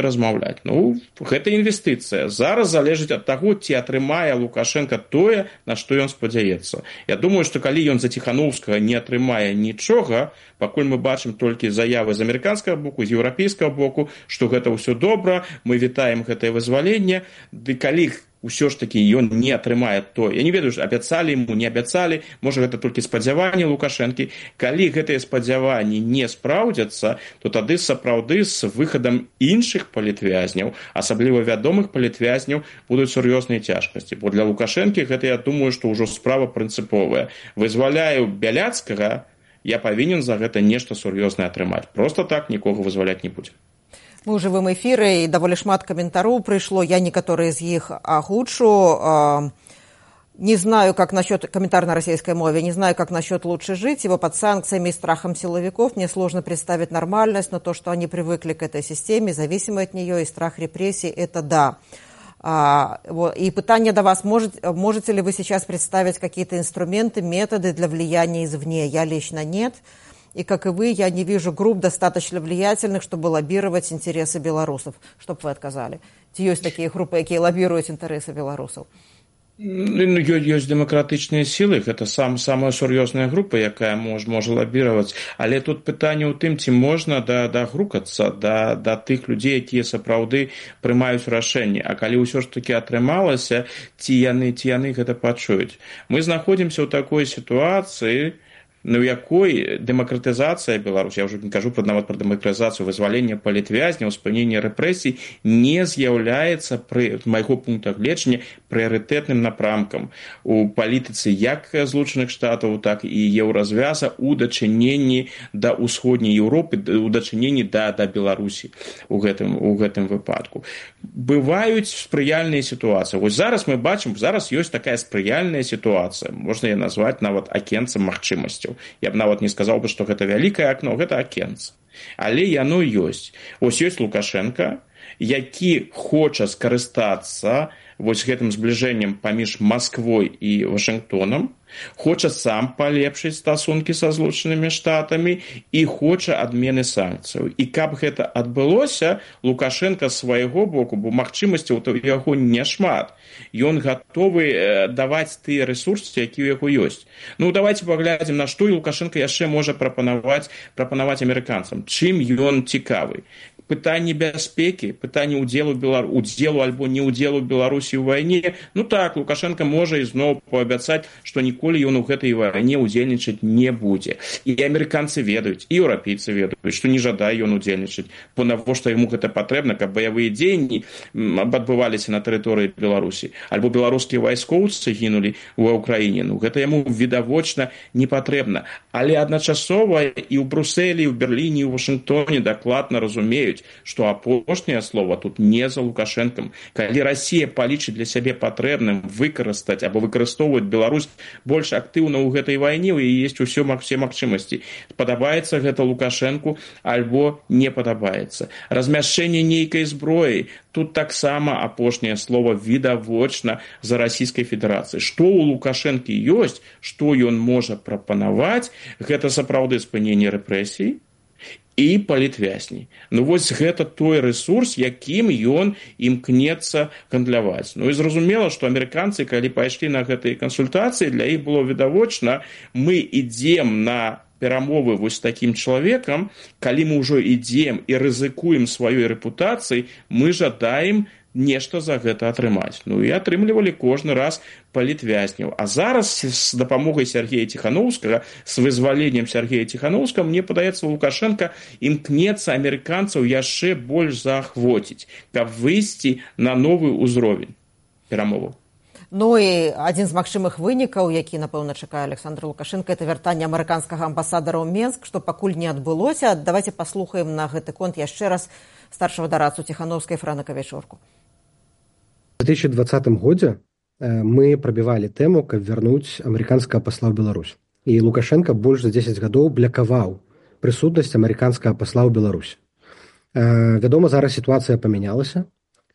размаўляць. Гэта інвестыцыя. Зараз залежыць ад таго, ці атрымае Лукашенко тое, на што ён спадзяецца. Я думаю, што калі ён за Ціханаўскага не атрымае нічога, пакуль мы бачым толькі заявы з амерыканскага боку, з еўрапейскага боку, што гэта ўсё добра, мы вітаем гэтае вызваленне, ды калі ўсё ж такі ён не атрымае то. Я не ведаю, абяцалі ему, не абяцалі, можа гэта толькі спадзяванні Лукашэнкі. Калі гэтыя спадзяванні не спраўдзяцца, то тады сапраўды з выхадам іншых палітвязняў, асабліва вядомых палітвязняў, будуць сур'ёзныя цяжкасці. Бо для Лукашэнкі гэта, я думаю, што ўжо справа прынцыповая. Вызваляю Бяляцкага, я павінен за гэта нешта сур'ёзнае атрымаць. Просто так нікога вызваляць не будзем. Мы ў жывым эфіры, і даволі шмат каментароў прыйшло, я некаторыя з іх агучу. Не знаю, как насчет, комментарий на российской мове, не знаю, как насчет лучше жить, ибо под санкциями и страхом силовиков мне сложно представить нормальность, но то, что они привыкли к этой системе, зависимы от нее, и страх репрессий, это да. И питание до вас, можете ли вы сейчас представить какие-то инструменты, методы для влияния извне? Я лично нет. И, как и вы, я не вижу групп достаточно влиятельных, чтобы лоббировать интересы белорусов. Чтобы вы отказали. Есть такие группы, которые лоббируют интересы белорусов. Ёсць дэмакратычныя сілы, гэта самая сур'ёзная група, якая можа лабіраваць. Але тут пытанне ў тым, ці можна дагрукацца да тых людзей, якія сапраўды прымаюць рашэнні. А калі ўсё ж такі атрымалася, ці яны гэта пачуюць. Мы знаходзімся ў такой сітуацыі, у якой дэмакратызацыя Беларусі, я ўжо не кажу нават пра дэмакратызацыю, вызвалення палітвязняў, спынення рэпрэсій, не з'яўляецца, з майго пункта гледжання, прыярытэтным напрамкам у палітыцы як Злучаных Штатаў, так і Еўразвяза ў дачыненні да ўсходняй Еўропы, у дачыненні да Беларусі у гэтым выпадку. Бываюць спрыяльныя сітуацыі. Вось зараз мы бачым, зараз ёсць такая спрыяльная сітуацыя, можна яе назваць нават акенцам магчымасцяў. Я б нават не сказаў бы, што гэта вялікае акно, гэта акенца. Але яно ёсць. Вось ёсць Лукашенко, які хоча скарыстацца вось гэтым збліжэннем паміж Масквой і Вашынгтонам, хоча сам палепшыць стасункі са Злучанымі Штатамі і хоча адмены санкцыяў. І каб гэта адбылося, Лукашенко з свайго боку, бо магчымасцяў у яго няшмат, ён гатовы даваць тыя рэсурсы, якія ў яго ёсць. Ну, давайте паглядзім, на што і Лукашенко яшчэ можа прапанаваць амерыканцам. Чым ён цікавы? Пытанне бяспекі, пытанне удзелу альбо неудзелу Беларусі ў вайне. Ну так, Лукашенко можа ізноў паабяцаць, што ніколі ён у гэтай вайне удзельнічаць не будзе. І амерыканцы ведаюць, і еўрапейцы ведаюць, што не жадае ён удзельнічаць. Бо навошта яму гэта патрэбна, каб баявыя дзеянні адбываліся на тэрыторыі Беларусі, альбо беларускія вайскоўцы гінулі ва ўкраіне. Ну гэта яму відавочна не патрэбна. Але адначасова і ў Брусэлі, і ў Берліне, і ў Вашынгтоне дакладна разумеюць, што апошняе слова тут не за Лукашэнкам. Калі Расія палічыць для сябе патрэбным выкарыстаць або выкарыстоўваць Беларусь больш актыўна ў гэтай вайне, у яе ёсць усе магчымасці. Падабаецца гэта Лукашэнку альбо не падабаецца. Размяшчэнне нейкай зброі, тут таксама апошняе слова відавочна за Расійскай Федэрацыі. Што ў Лукашэнкі ёсць, што ён можа прапанаваць, гэта сапраўды спыненне рэпрэсій і палітвязні. Ну вось гэта той рэсурс, якім ён імкнецца гандляваць. Ну і зразумела, што амерыканцы, калі пайшлі на гэтыя кансультацыі, для іх было відавочна, мы ідзем на перамовы вось такім чалавекам, калі мы ўжо ідзем і рызыкуем сваёй рэпутацыяй, мы жадаем нешта за гэта атрымаць. Ну і атрымлівалі кожны раз палітвязняў. А зараз з дапамогай Сергея Ціхановскага, з вызваленнем Сергея Ціхановскага, мне падаецца, Лукашенко імкнецца амерыканцаў яшчэ больш заахвоціць, каб выйсці на новы ўзровень перамоваў. Ну і адзін з магчымых вынікаў, які, напэўна, чакае Александр Лукашенко, это вяртанне амерыканскага амбасадара ў Менск, што пакуль не адбылося. Давайте паслухаем на гэты конт яшчэ раз старшего дарадцу Ціхановскай Франыка Вечорку. В 2020 годзе мы прабівалі тэму, каб вярнуць амерыканскага пасла ў Беларусь. І Лукашенко больш за 10 гадоў блякаваў прысутнасць амерыканскага пасла ў Беларусь. Вядома, зараз сітуацыя памянялася.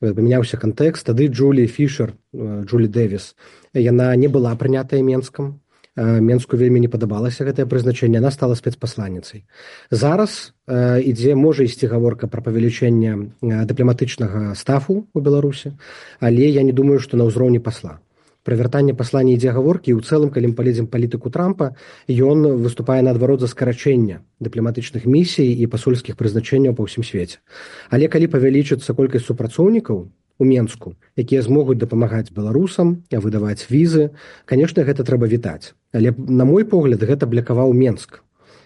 Памяняўся кантэкст. Тады Джулі Фішер, Джулі Дэвіс, яна не была прынятая Менскам. Менску вельмі не падабалася гэтае прызначэнне, яна стала спецпасланніцай. Зараз можа ісці гаворка пра павелічэнне дыпламатычнага стафу ў Беларусі, але я не думаю, што на ўзроўні пасла. Пра вяртанне пасла не ідзе гаворкі, і ў цэлым, калі мы палезем палітыку Трампа, ён выступае наадварот за скарачэнне дыпламатычных місій і пасольскіх прызначэнняў па ўсім свеце. Але калі павялічыцца колькасць супрацоўнікаў у Менску, якія змогуць дапамагаць беларусам, выдаваць візы, канешне, гэта трэба вітаць. Але, на мой погляд, гэта блякаваў Менск.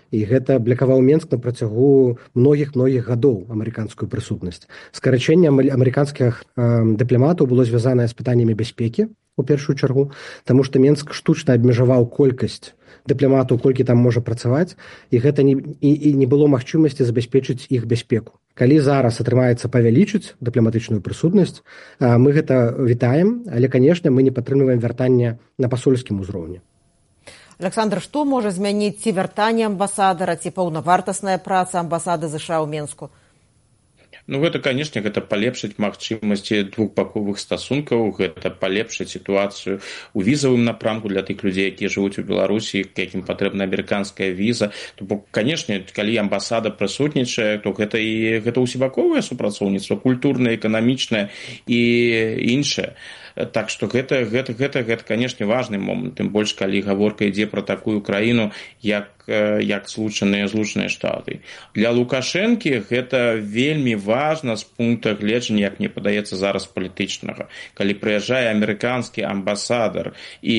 І гэта блякаваў Менск на працягу многіх гадоў амерыканскую прысутнасць. Скарачэнне амерыканскіх дыпламатаў было звязанае з пытаннямі бяспекі, у першую чаргу, таму што Менск штучна абмежаваў колькасць дыпламатаў, колькі там можа працаваць, і гэта не было магчымасці забяспечыць іх бяспеку. Калі зараз атрымаецца павялічыць дыпламатычную прысутнасць, мы гэта вітаем, але, канешне, мы не падтрымліваем вяртанне на пасольскім узроўні. Александр, што можа змяніць ці вяртанне амбасадара, ці паўнавартасная праца амбасады ЗША ў Менску? Ну, гэта, канешне, гэта палепшыць магчымасці двухбаковых стасункаў, гэта палепшыць сітуацыю ў візавым напрамку для тых людзей, якія жывуць у Беларусі, якім патрэбна амерыканская віза. То бок, канешне, калі амбасада прысутнічае, то гэта усебаковае супрацоўніцтва, культурнае, эканамічнае і іншае. Так што гэта, канешне, важны момант, тым больш, калі гаворка ідзе пра такую краіну, як Злучаныя Штаты. Для Лукашэнкі гэта вельмі важна з пункта гледжання, як мне падаецца зараз, палітычнага. Калі прыязджае амерыканскі амбасадар і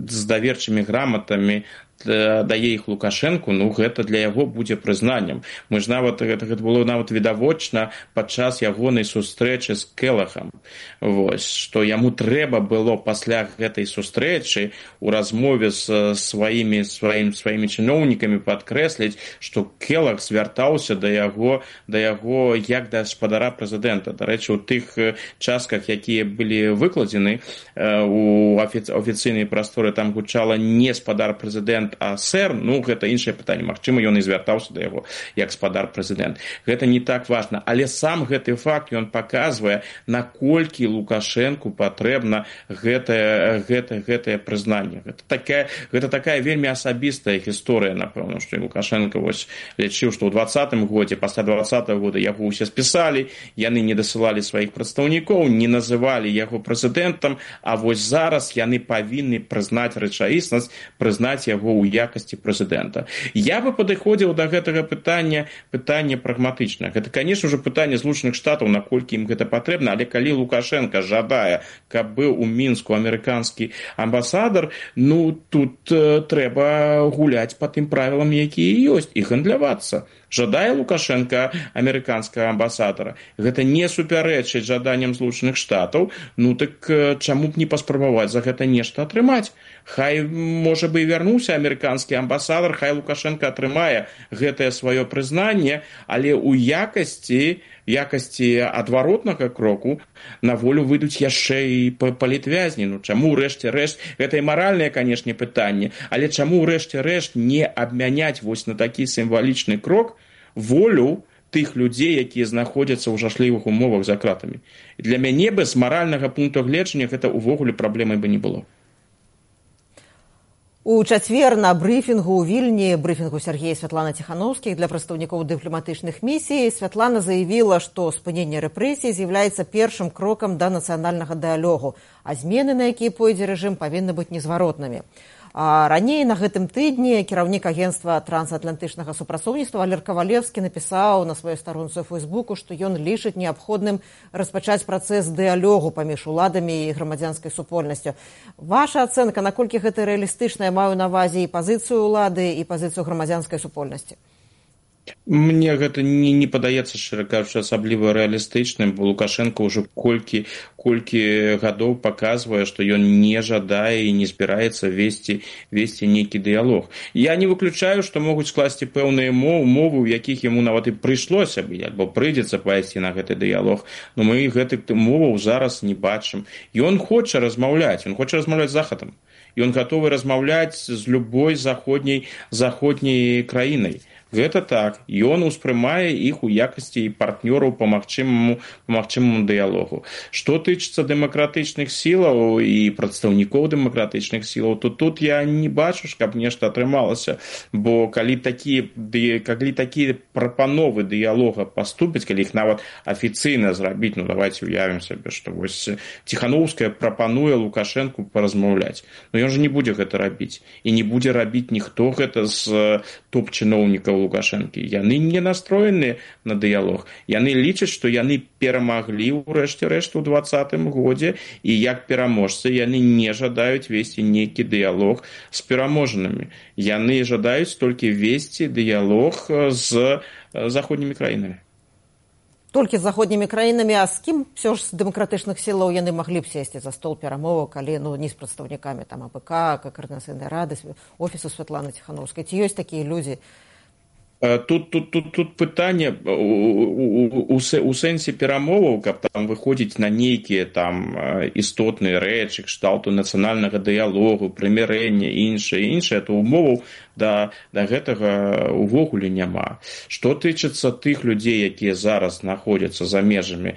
з даверчымі граматамі дае іх Лукашэнку, ну гэта для яго будзе прызнаннем. Мы ж нават, гэта было нават відавочна падчас ягонай сустрэчы з Келахам. Вось, што яму трэба было пасля гэтай сустрэчы ў размове з сваімі чыноўнікамі падкрэсліць, што Келах звяртаўся да яго як да гаспадара прэзідэнта. Дарэчы, у тых частках, якія былі выкладзены у афіцыйнай прасторы, там гучала не гаспадар прэзідэнта, прэзідэнт, а сэр, ну гэта іншае пытанне, магчыма ён і звяртаўся да яго як спадар прэзідэнт. Гэта не так важна, але сам гэты факт ён паказвае, наколькі Лукашэнку патрэбна гэтае прызнанне. Гэта такая вельмі асабістая гісторыя, напэўна, што Лукашенко вось лічыў, што ў 2020 годзе, пасля 2020 года яго ўсе спісалі, яны не дасылалі сваіх прадстаўнікоў, не называлі яго прэзідэнтам, а вось зараз яны павінны прызнаць рэчаіснасць, прызнаць яго ў якасці прэзідэнта. Я бы падыходзіў да гэтага пытання прагматычна. Гэта, конечно же, пытанне Злучаных Штатаў, наколькі ім гэта патрэбна, але калі Лукашенко жадае, каб быў у Мінску амерыканскі амбасадар, ну, тут трэба гуляць па тым правілам, якія ёсць, і гандлявацца. Жадае Лукашенко амерыканскага амбасадара. Гэта не супярэчыць жаданням Злучаных Штатаў, ну так чаму б не паспрабаваць за гэта нешта атрымаць? Хай, можа бы, і вярнуўся амерыканскі амбасадар, хай Лукашенко атрымае гэтае сваё прызнанне, але ў якасці адваротнага кроку на волю выйдуць яшчэ і палітвязні. Ну, чаму рэшце рэшт, гэта і маральнае, канешне, пытанне, але чаму рэшце рэшт не абмяняць вось на такі сімвалічны крок волю тых людзей, якія знаходзяцца ў жашлівых умовах за кратамі. Для мяне бы з маральнага пункту гледжання гэта ўвогуле праблемай бы не было. У чацвер на брыфінгу ў Вільні, брыфінгу Сергея Святланы Ціханаўскіх для прадстаўнікоў дыпламатычных місій, Святлана заявіла, што спыненне рэпрэсій з'яўляецца першым крокам да нацыянальнага дыялогу, а змены, на якія пойдзе рэжым, павінны быць незваротнымі. Раней на гэтым тыдні кіраўнік агенцтва трансатлантычнага супрацоўніцтва Валер Кавалевскі напісаў на сваёй старонцы ў Фейсбуку, што ён лічыць неабходным распачаць працэс дыялогу паміж уладамі і грамадзянскай супольнасцю. Ваша ацэнка, наколькі гэта рэалістычна, я маю на ўвазе і пазіцыю ўлады, і пазіцыю грамадзянскай супольнасці? Мне гэта не падаецца, шчыра кажучы, асабліва рэалістычным, бо Лукашенко ўжо колькі гадоў паказвае, што ён не жадае і не збіраецца весці нейкі дыялог. Я не выключаю, што могуць скласці пэўныя умовы, у якіх яму нават і прыйшлося бы, альбо прыйдзецца пайсці на гэты дыялог, но мы гэтых умоваў зараз не бачым. Ён хоча размаўляць з Захадам. Ён гатовы размаўляць з любой заходняй краінай. Гэта так. Ён успрымае іх у якасці партнёраў па магчымаму дыялогу. Што тычыцца дэмакратычных сілаў і прадстаўнікоў дэмакратычных сілаў, то тут я не бачу, каб нешта атрымалася. Бо калі такія прапановы дыялога паступяць, калі іх нават афіцыйна зрабіць, ну давайте уявім сабе, што вось Ціханаўская прапануе Лукашенку паразмаўляць. Но ён жа не будзе гэта рабіць. І не будзе рабіць ніхто гэта з топ-чыноўнікаў Лукашэнкі. Яны не настроеныя на дыялог. Яны лічаць, што яны перамаглі ў рэшце рэшт у 2020 годзе, і як пераможцы яны не жадаюць весці нейкі дыялог з пераможанымі. Яны жадаюць толькі весці дыялог з заходнімі краінамі. Толькі з заходнімі краінамі, а з кім ўсё ж з дэмакратычных сілаў яны маглі б сесці за стол перамоваў, калі не з прадстаўнікамі АПК, Координацыйнай рады, офісу Святланы Ціханаўскай. Ці ёсць такія людзі? Тут пытанне у сэнсе перамоваў, каб там выходзіць на нейкія там істотныя рэчы, кшталту нацыянальнага дыялогу, прымірэння, іншае, то умоваў да гэтага увогуле няма. Што тычыцца тых людзей, якія зараз знаходзяцца за межамі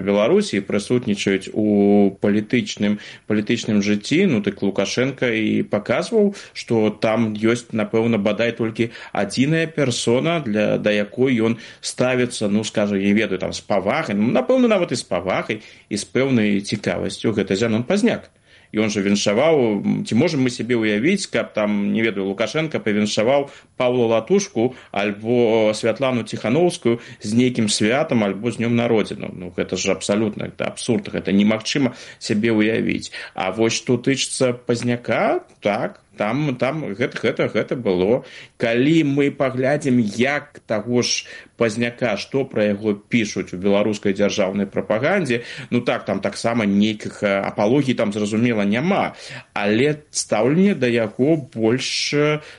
Беларусі і прысутнічаюць у палітычным жыцці, ну так Лукашенко і паказваў, што там ёсць, напэўна, бадай толькі адзіная персона, да якой ён ставіцца, ну, скажу, я ведаю, там, з павагай, ну, напэўна, нават і з павагай, і з пэўнай цікавасцю, гэта Зянон Пазняк. Ён жа віншаваў, ці можам мы сябе ўявіць, каб там, не ведаю, Лукашенко павіншаваў Паўла Латушку альбо Святлану Ціханаўскую з нейкім святам альбо з днём народзінаў. Ну, гэта ж абсалютна абсурд, гэта немагчыма сябе ўявіць. А вось што тычыцца Пазняка, так, там гэта было. Калі мы паглядзім, як таго ж Пазняка, што пра яго пішуць у беларускай дзяржаўнай прапагандзе, ну так, там таксама нейкіх апалогій там, зразумела, няма, але стаўленне да яго больш,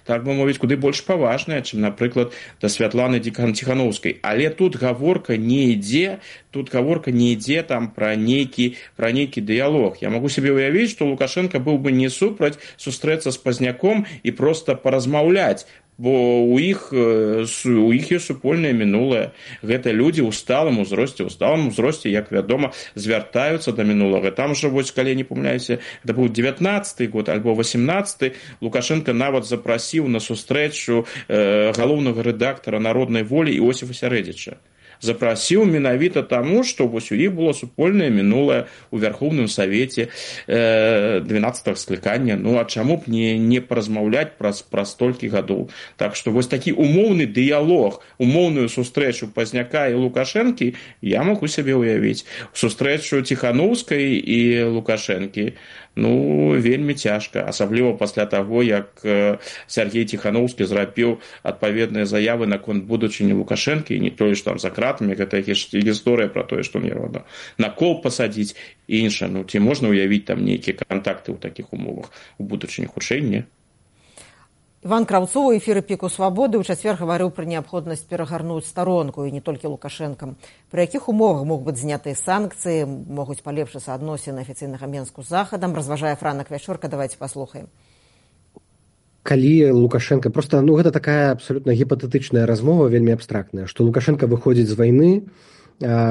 так бы мовіць, куды больш паважнае, чым, напрыклад, да Святланы Ціханаўскай. Але тут гаворка не ідзе там пра нейкі дыялог. Я магу сабе ўявіць, што Лукашенко быў бы не супраць сустрэцца з пазняком і проста паразмаўляць, бо у іх ёсць супольнае мінулае. Гэта людзі ў сталым узросце, як вядома, звяртаюцца да мінулага. Там жа, вось, калі не памыляюся, это быў 19-й год альбо 18-й, Лукашенко нават запрасіў на сустрэчу галоўнага рэдактара «Народнай волі» Іосіфа Сярэдзіча. Запрасіў менавіта таму, што вось у іх было супольнае мінулае ў Вярхоўным Савеце 12-го склікання. Ну, а чаму б не паразмаўляць праз столькі гадоў? Так што вось такі умоўны дыялог, умоўную сустрэчу Пазняка і Лукашэнкі я магу сябе ўявіць. Сустрэчу Ціханаўскай і Лукашэнкі, ну, вельмі цяжка, асабліва пасля таго, як Сяргей Ціханаўскі зрабіў адпаведныя заявы наконт будучыні Лукашэнкі, і не тое, што там за кратамі, гэта гісторыя пра тое, што мне на кол пасадзіць і іншае. Ну, ці можна ўявіць там нейкія кантакты ў такіх умовах у будучыні? Хутчэй не. Іван Краўцоў у эфіры «Піку Свабоды» ў чацвер гаварыў пра неабходнасць перагарнуць старонку, і не толькі Лукашэнкам. Пры якіх умовах могуць быць знятыя санкцыі, могуць палепшыцца адносіны афіцыйнага Менску з Захадам, разважае Франак Вячорка. Давайте паслухаем. Калі Лукашенко, просто, гэта такая абсалютна гіпатэтычная размова, вельмі абстрактная, што Лукашенко выходзіць з вайны,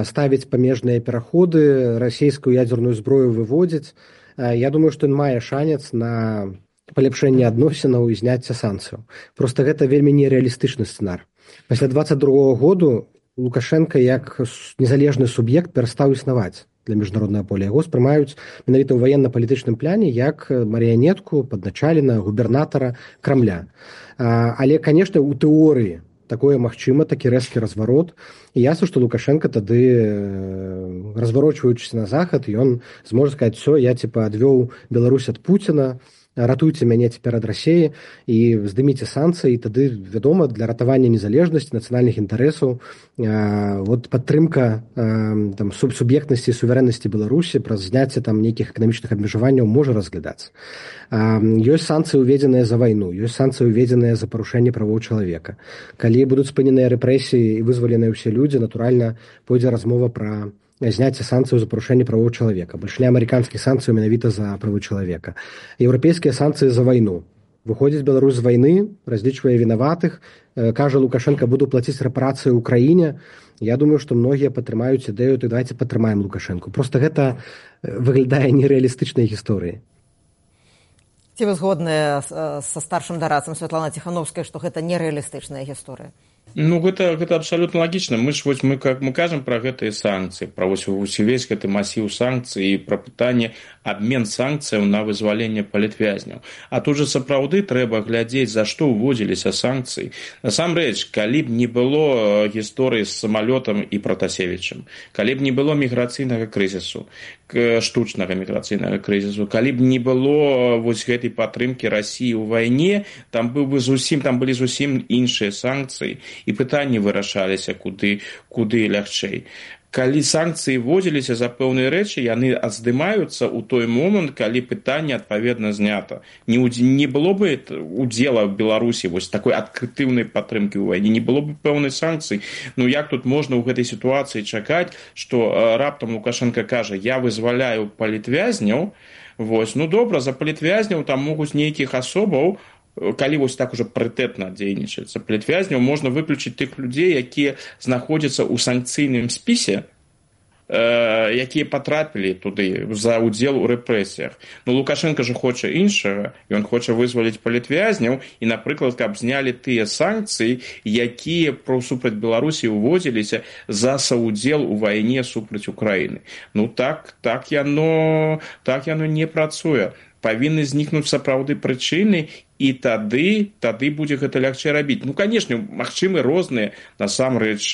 ставіць памежныя пераходы, расійскую ядзерную зброю выводзіць. Я думаю, што ён мае шанец на палепшэнне адносінаў і зняцце санкцыяў. Просто гэта вельмі нереалістычны сцэнар. Пасля 22-го году Лукашенко як незалежны суб'ект перастаў існаваць для міжнароднага поля. Яго спрымаюць менавіта ў ваенна-палітычным пляне як марыянетку, падначалена, губернатара Крамля. Але, канешне, у тэорыі такое магчыма, такі рэзкі разварот. І ясна, што Лукашенко тады, разварочваючыся на захад, ён зможа сказаць: «Всё, я адвёў Беларусь ад Пуціна, ратуйце мяне цяпер ад Расіі і здыміце санкцыі». І тады, вядома, для ратавання незалежнасці, нацыянальных інтарэсаў, падтрымка суб'ектнасці і суверэннасці Беларусі праз зняцце нейкіх эканамічных абмежаванняў можа разглядацца. Ёсць санкцыі, уведзеныя за вайну, ёсць санкцыі, уведзеныя за парушэнне правоў чалавека. Калі будуць спыненыя рэпрэсіі і вызваленыя ўсе людзі, натуральна, пойдзе размова пра зняцце санкцыяў за парушэнне правоў чалавека. Большинство амерыканскіх санкцыяў менавіта за правы чалавека. Еўрапейскія санкцыі за вайну. Выходзіць Беларусь з вайны, разлічвае вінаватых, кажа Лукашенко: «Буду плаціць рэпарацыі ўкраіне». Я думаю, што многія падтрымаюць ідэю: «Давайте падтрымаем Лукашенко». Просто гэта выглядае нерэалістычнай гісторыяй. Ці вы згодныя са старшым дарадцам Святланай Ціханаўскай, што гэта нерэалістычная гісторыя? Ну, гэта абсалютна лагічна. Мы кажам пра гэтыя санкцыі, пра увесь гэты масіў санкцый і пра пытанне абмен санкцыяў на вызваленне палітвязняў. А тут жа сапраўды трэба глядзець, за што ўводзіліся санкцыі. Насамрэч, калі б не было гісторыі з самалётам і Пратасевічам, калі б не было міграцыйнага крызісу, штучнага міграцыйнага крызісу, калі б не было вось гэтай падтрымкі Расіі ў вайне, там былі зусім іншыя санкцыі, і пытанні вырашаліся куды лягчэй. Калі санкцыі вводзіліся за пэўныя рэчы, яны здымаюцца ў той момант, калі пытанне адпаведна знята. Не было бы удзела в Беларусі вось такой адкрытыўнай падтрымкі ў вайне, не было бы пэўнай санкцый. Ну як тут можна ў гэтай сітуацыі чакаць, што раптам Лукашенко кажа: «Я вызваляю палітвязняў». Вось, ну добра, за палітвязняў там могуць нейкіх асобаў, калі вось так уже прытэтна дзейнічаецца, палітвязняў можна выключыць тых людзей, якія знаходзяцца ў санкцыйным спісе, якія патрапілі туды за удзел у рэпрэсіях. Ну, Лукашенко же хоча іншага, ён хоча вызваліць палітвязняў і, напрыклад, каб знялі тыя санкцыі, якія супраць Беларусі ўводзіліся за саўдзел у вайне супраць Украіны. Ну так яно не працуе. Павінны знікнуць сапраўды прычыны, і тады будзе гэта лягчэй рабіць. Ну, канешне, магчымы розныя насамрэч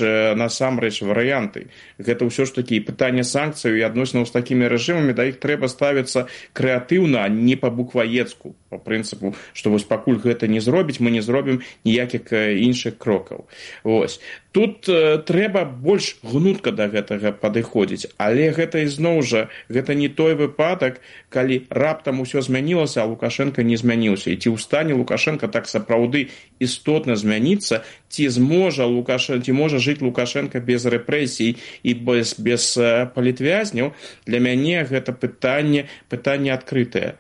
варыянты. Гэта ўсё ж такі пытанне санкцыяў і адносінаў з такімі рэжымамі, да іх трэба ставіцца крэатыўна, а не па-букваецку, па прынцыпу, што вось пакуль гэта не зробіць, мы не зробім ніякіх іншых крокаў. Вось. Тут трэба больш гнутка да гэтага падыходзіць, але гэта ізноў жа, гэта не той выпадак, калі раптам усё змянілася, а Лукашенко не змяніўся. І ці ў стане Лукашенко так сапраўды істотна змяніцца, ці можа жыць Лукашенко без рэпрэсій і без палітвязняў, для мяне гэта пытанне адкрытае.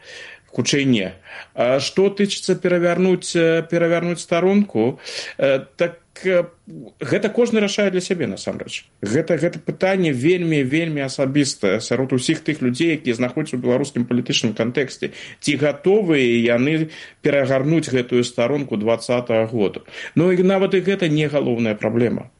хутчэй не. Што тычыцца перавярнуць старонку, так гэта кожны рашае для сябе насамрэч. Гэта пытанне вельмі асабістае сярод усіх тых людзей, якія знаходзяцца ў беларускім палітычным кантэксце. Ці гатовыя яны перагарнуць гэтую старонку 2020 году. Ну і нават і гэта не галоўная праблема.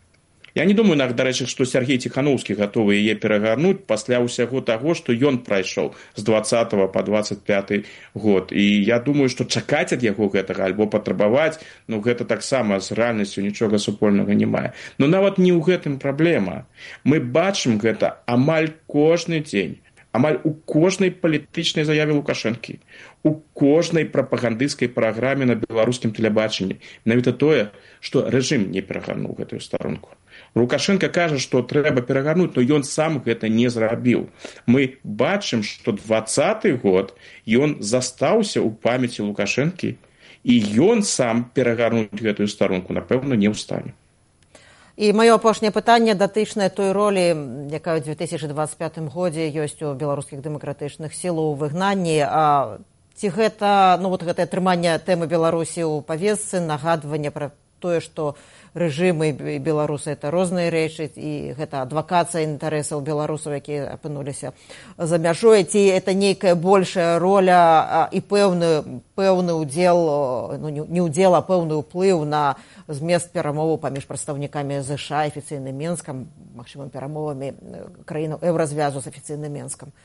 Я не думаю, дарэчы, што Сергей Ціханаўскі гатовы яе перагарнуць пасля ўсяго таго, што ён прайшоў з 20 па 25 год. І я думаю, што чакаць ад яго гэтага альбо патрабаваць, гэта таксама з рэальнасцю нічога супольнага не мае. Но нават не ў гэтым праблема. Мы бачым гэта амаль кожны дзень. Амаль у кожнай палітычнай заяве Лукашэнкі, у кожнай прапагандысцкай праграме на беларускім тэлебачанні. Навіта тое, што рэжым не перагарнуў гэтую старонку. Лукашенко кажа, што трэба перагарнуць, но ён сам гэта не зрабіў. Мы бачым, што 2020 год ён застаўся ў памяці Лукашэнкі, і ён сам перагарнуць гэтую старонку, напэўна, не ў стане. І маё апошняе пытанне датычнае той ролі, якая ў 2025 годзе ёсць у беларускіх дэмакратычных сілаў у выгнанні. Ці гэта, гэтае трыманне тэмы Беларусі ў павестцы, нагадванне пра тое, што рэжымы і беларусы – это розныя рэчы, і гэта адвакацыя інтарэсаў беларусаў, якія апынуліся за мяжой, ці это нейкая большая роля і пэўны ўдзел, не ўдзел, а пэўны ўплыў на змест перамоваў паміж прадстаўнікамі ЗША, афіцыйным Менскам, магчымым перамовамі краінаў еўразвязу з афіцыйным Менскам.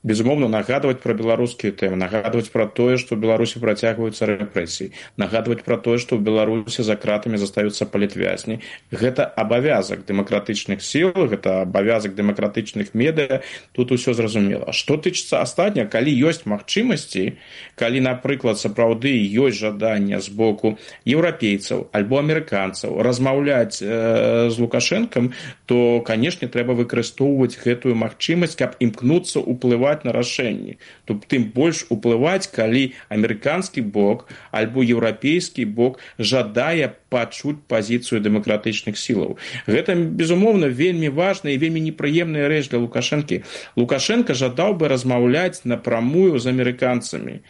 Безумоўна, нагадваць пра беларускія тэмы, нагадваць пра тое, што ў Беларусі працягваюцца рэпрэсіі, нагадваць пра тое, што ў Беларусі за кратамі застаюцца палітвязні. Гэта абавязак дэмакратычных сіл, гэта абавязак дэмакратычных медыа, тут усё зразумела. Што тычыцца астатняга, калі ёсць магчымасці, калі, напрыклад, сапраўды ёсць жаданне з боку еўрапейцаў альбо амерыканцаў размаўляць з Лукашэнкам, то, канешне, трэба выкарыстоўваць гэтую магчымасць, каб імкнуцца уплываць на рашэнні. Тым больш уплываць, калі амерыканскі бок альбо еўрапейскі бок жадае пачуць пазіцыю дэмакратычных сілаў. Гэта, безумоўна, вельмі важная і вельмі непрыемная рэч для Лукашэнкі. Лукашенко жадаў бы размаўляць напрамую з амерыканцамі.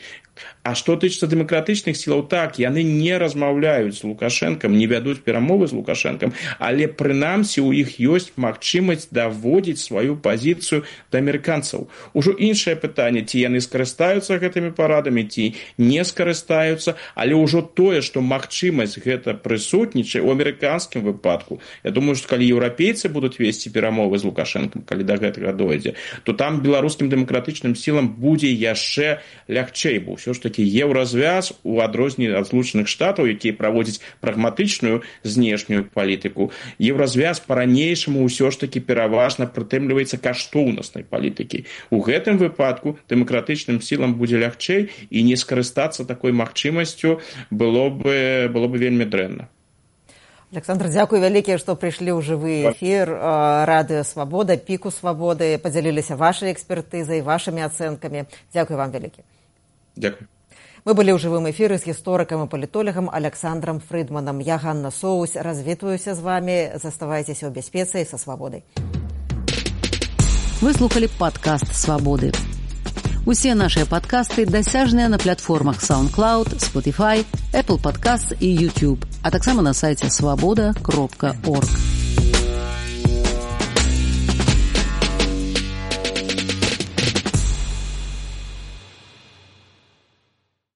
А што тычыцца дэмакратычных сілаў, так, яны не размаўляюць з Лукашэнкам, не вядуць перамовы з Лукашэнкам, але прынамсі ў іх ёсць магчымасць даводзіць сваю пазіцыю да амерыканцаў. Ужо іншае пытанне, ці яны скарыстаюцца гэтымі парадамі, ці не скарыстаюцца, але ўжо тое, што магчымасць гэта прысутнічае ў амерыканскім выпадку. Я думаю, што калі еўрапейцы будуць весці перамовы з Лукашэнкам, калі да гэтага дойдзе, то там беларускім дэмакратычным сілам будзе яшчэ лягчэй, бо ўсё ж такі еўразвяз у адрозненні ад Злучаных Штатаў, якія праводзяць прагматычную знешнюю палітыку. Еўразвяз па-ранейшаму ўсё ж такі пераважна прытрымліваецца каштоўнаснай палітыкі. У гэтым выпадку дэмакратычным сілам будзе лягчэй, і не скарыстацца такой магчымасцю было бы вельмі дрэнна. Александр, дзякуй вялікія, што прыйшлі ў жывы эфір радыё Свабода, піку Свабоды, падзяліліся вашай экспертызай, вашымі ацэнкамі. Дзякуй вам вялікі. Дзякуй. Мы былі ў жывым эфіры з гісторыкам і палітолагам Александром Фрыдманам. Я Ганна Соусь, развітваюся з вамі. Заставайцеся ў бяспецы і са свабодай. Вы слухали падкаст «Свабоды». Усе нашыя падкасты дасяжныя на платформах SoundCloud, Spotify, Apple Podcasts і YouTube, а таксама на сайце swaboda.org.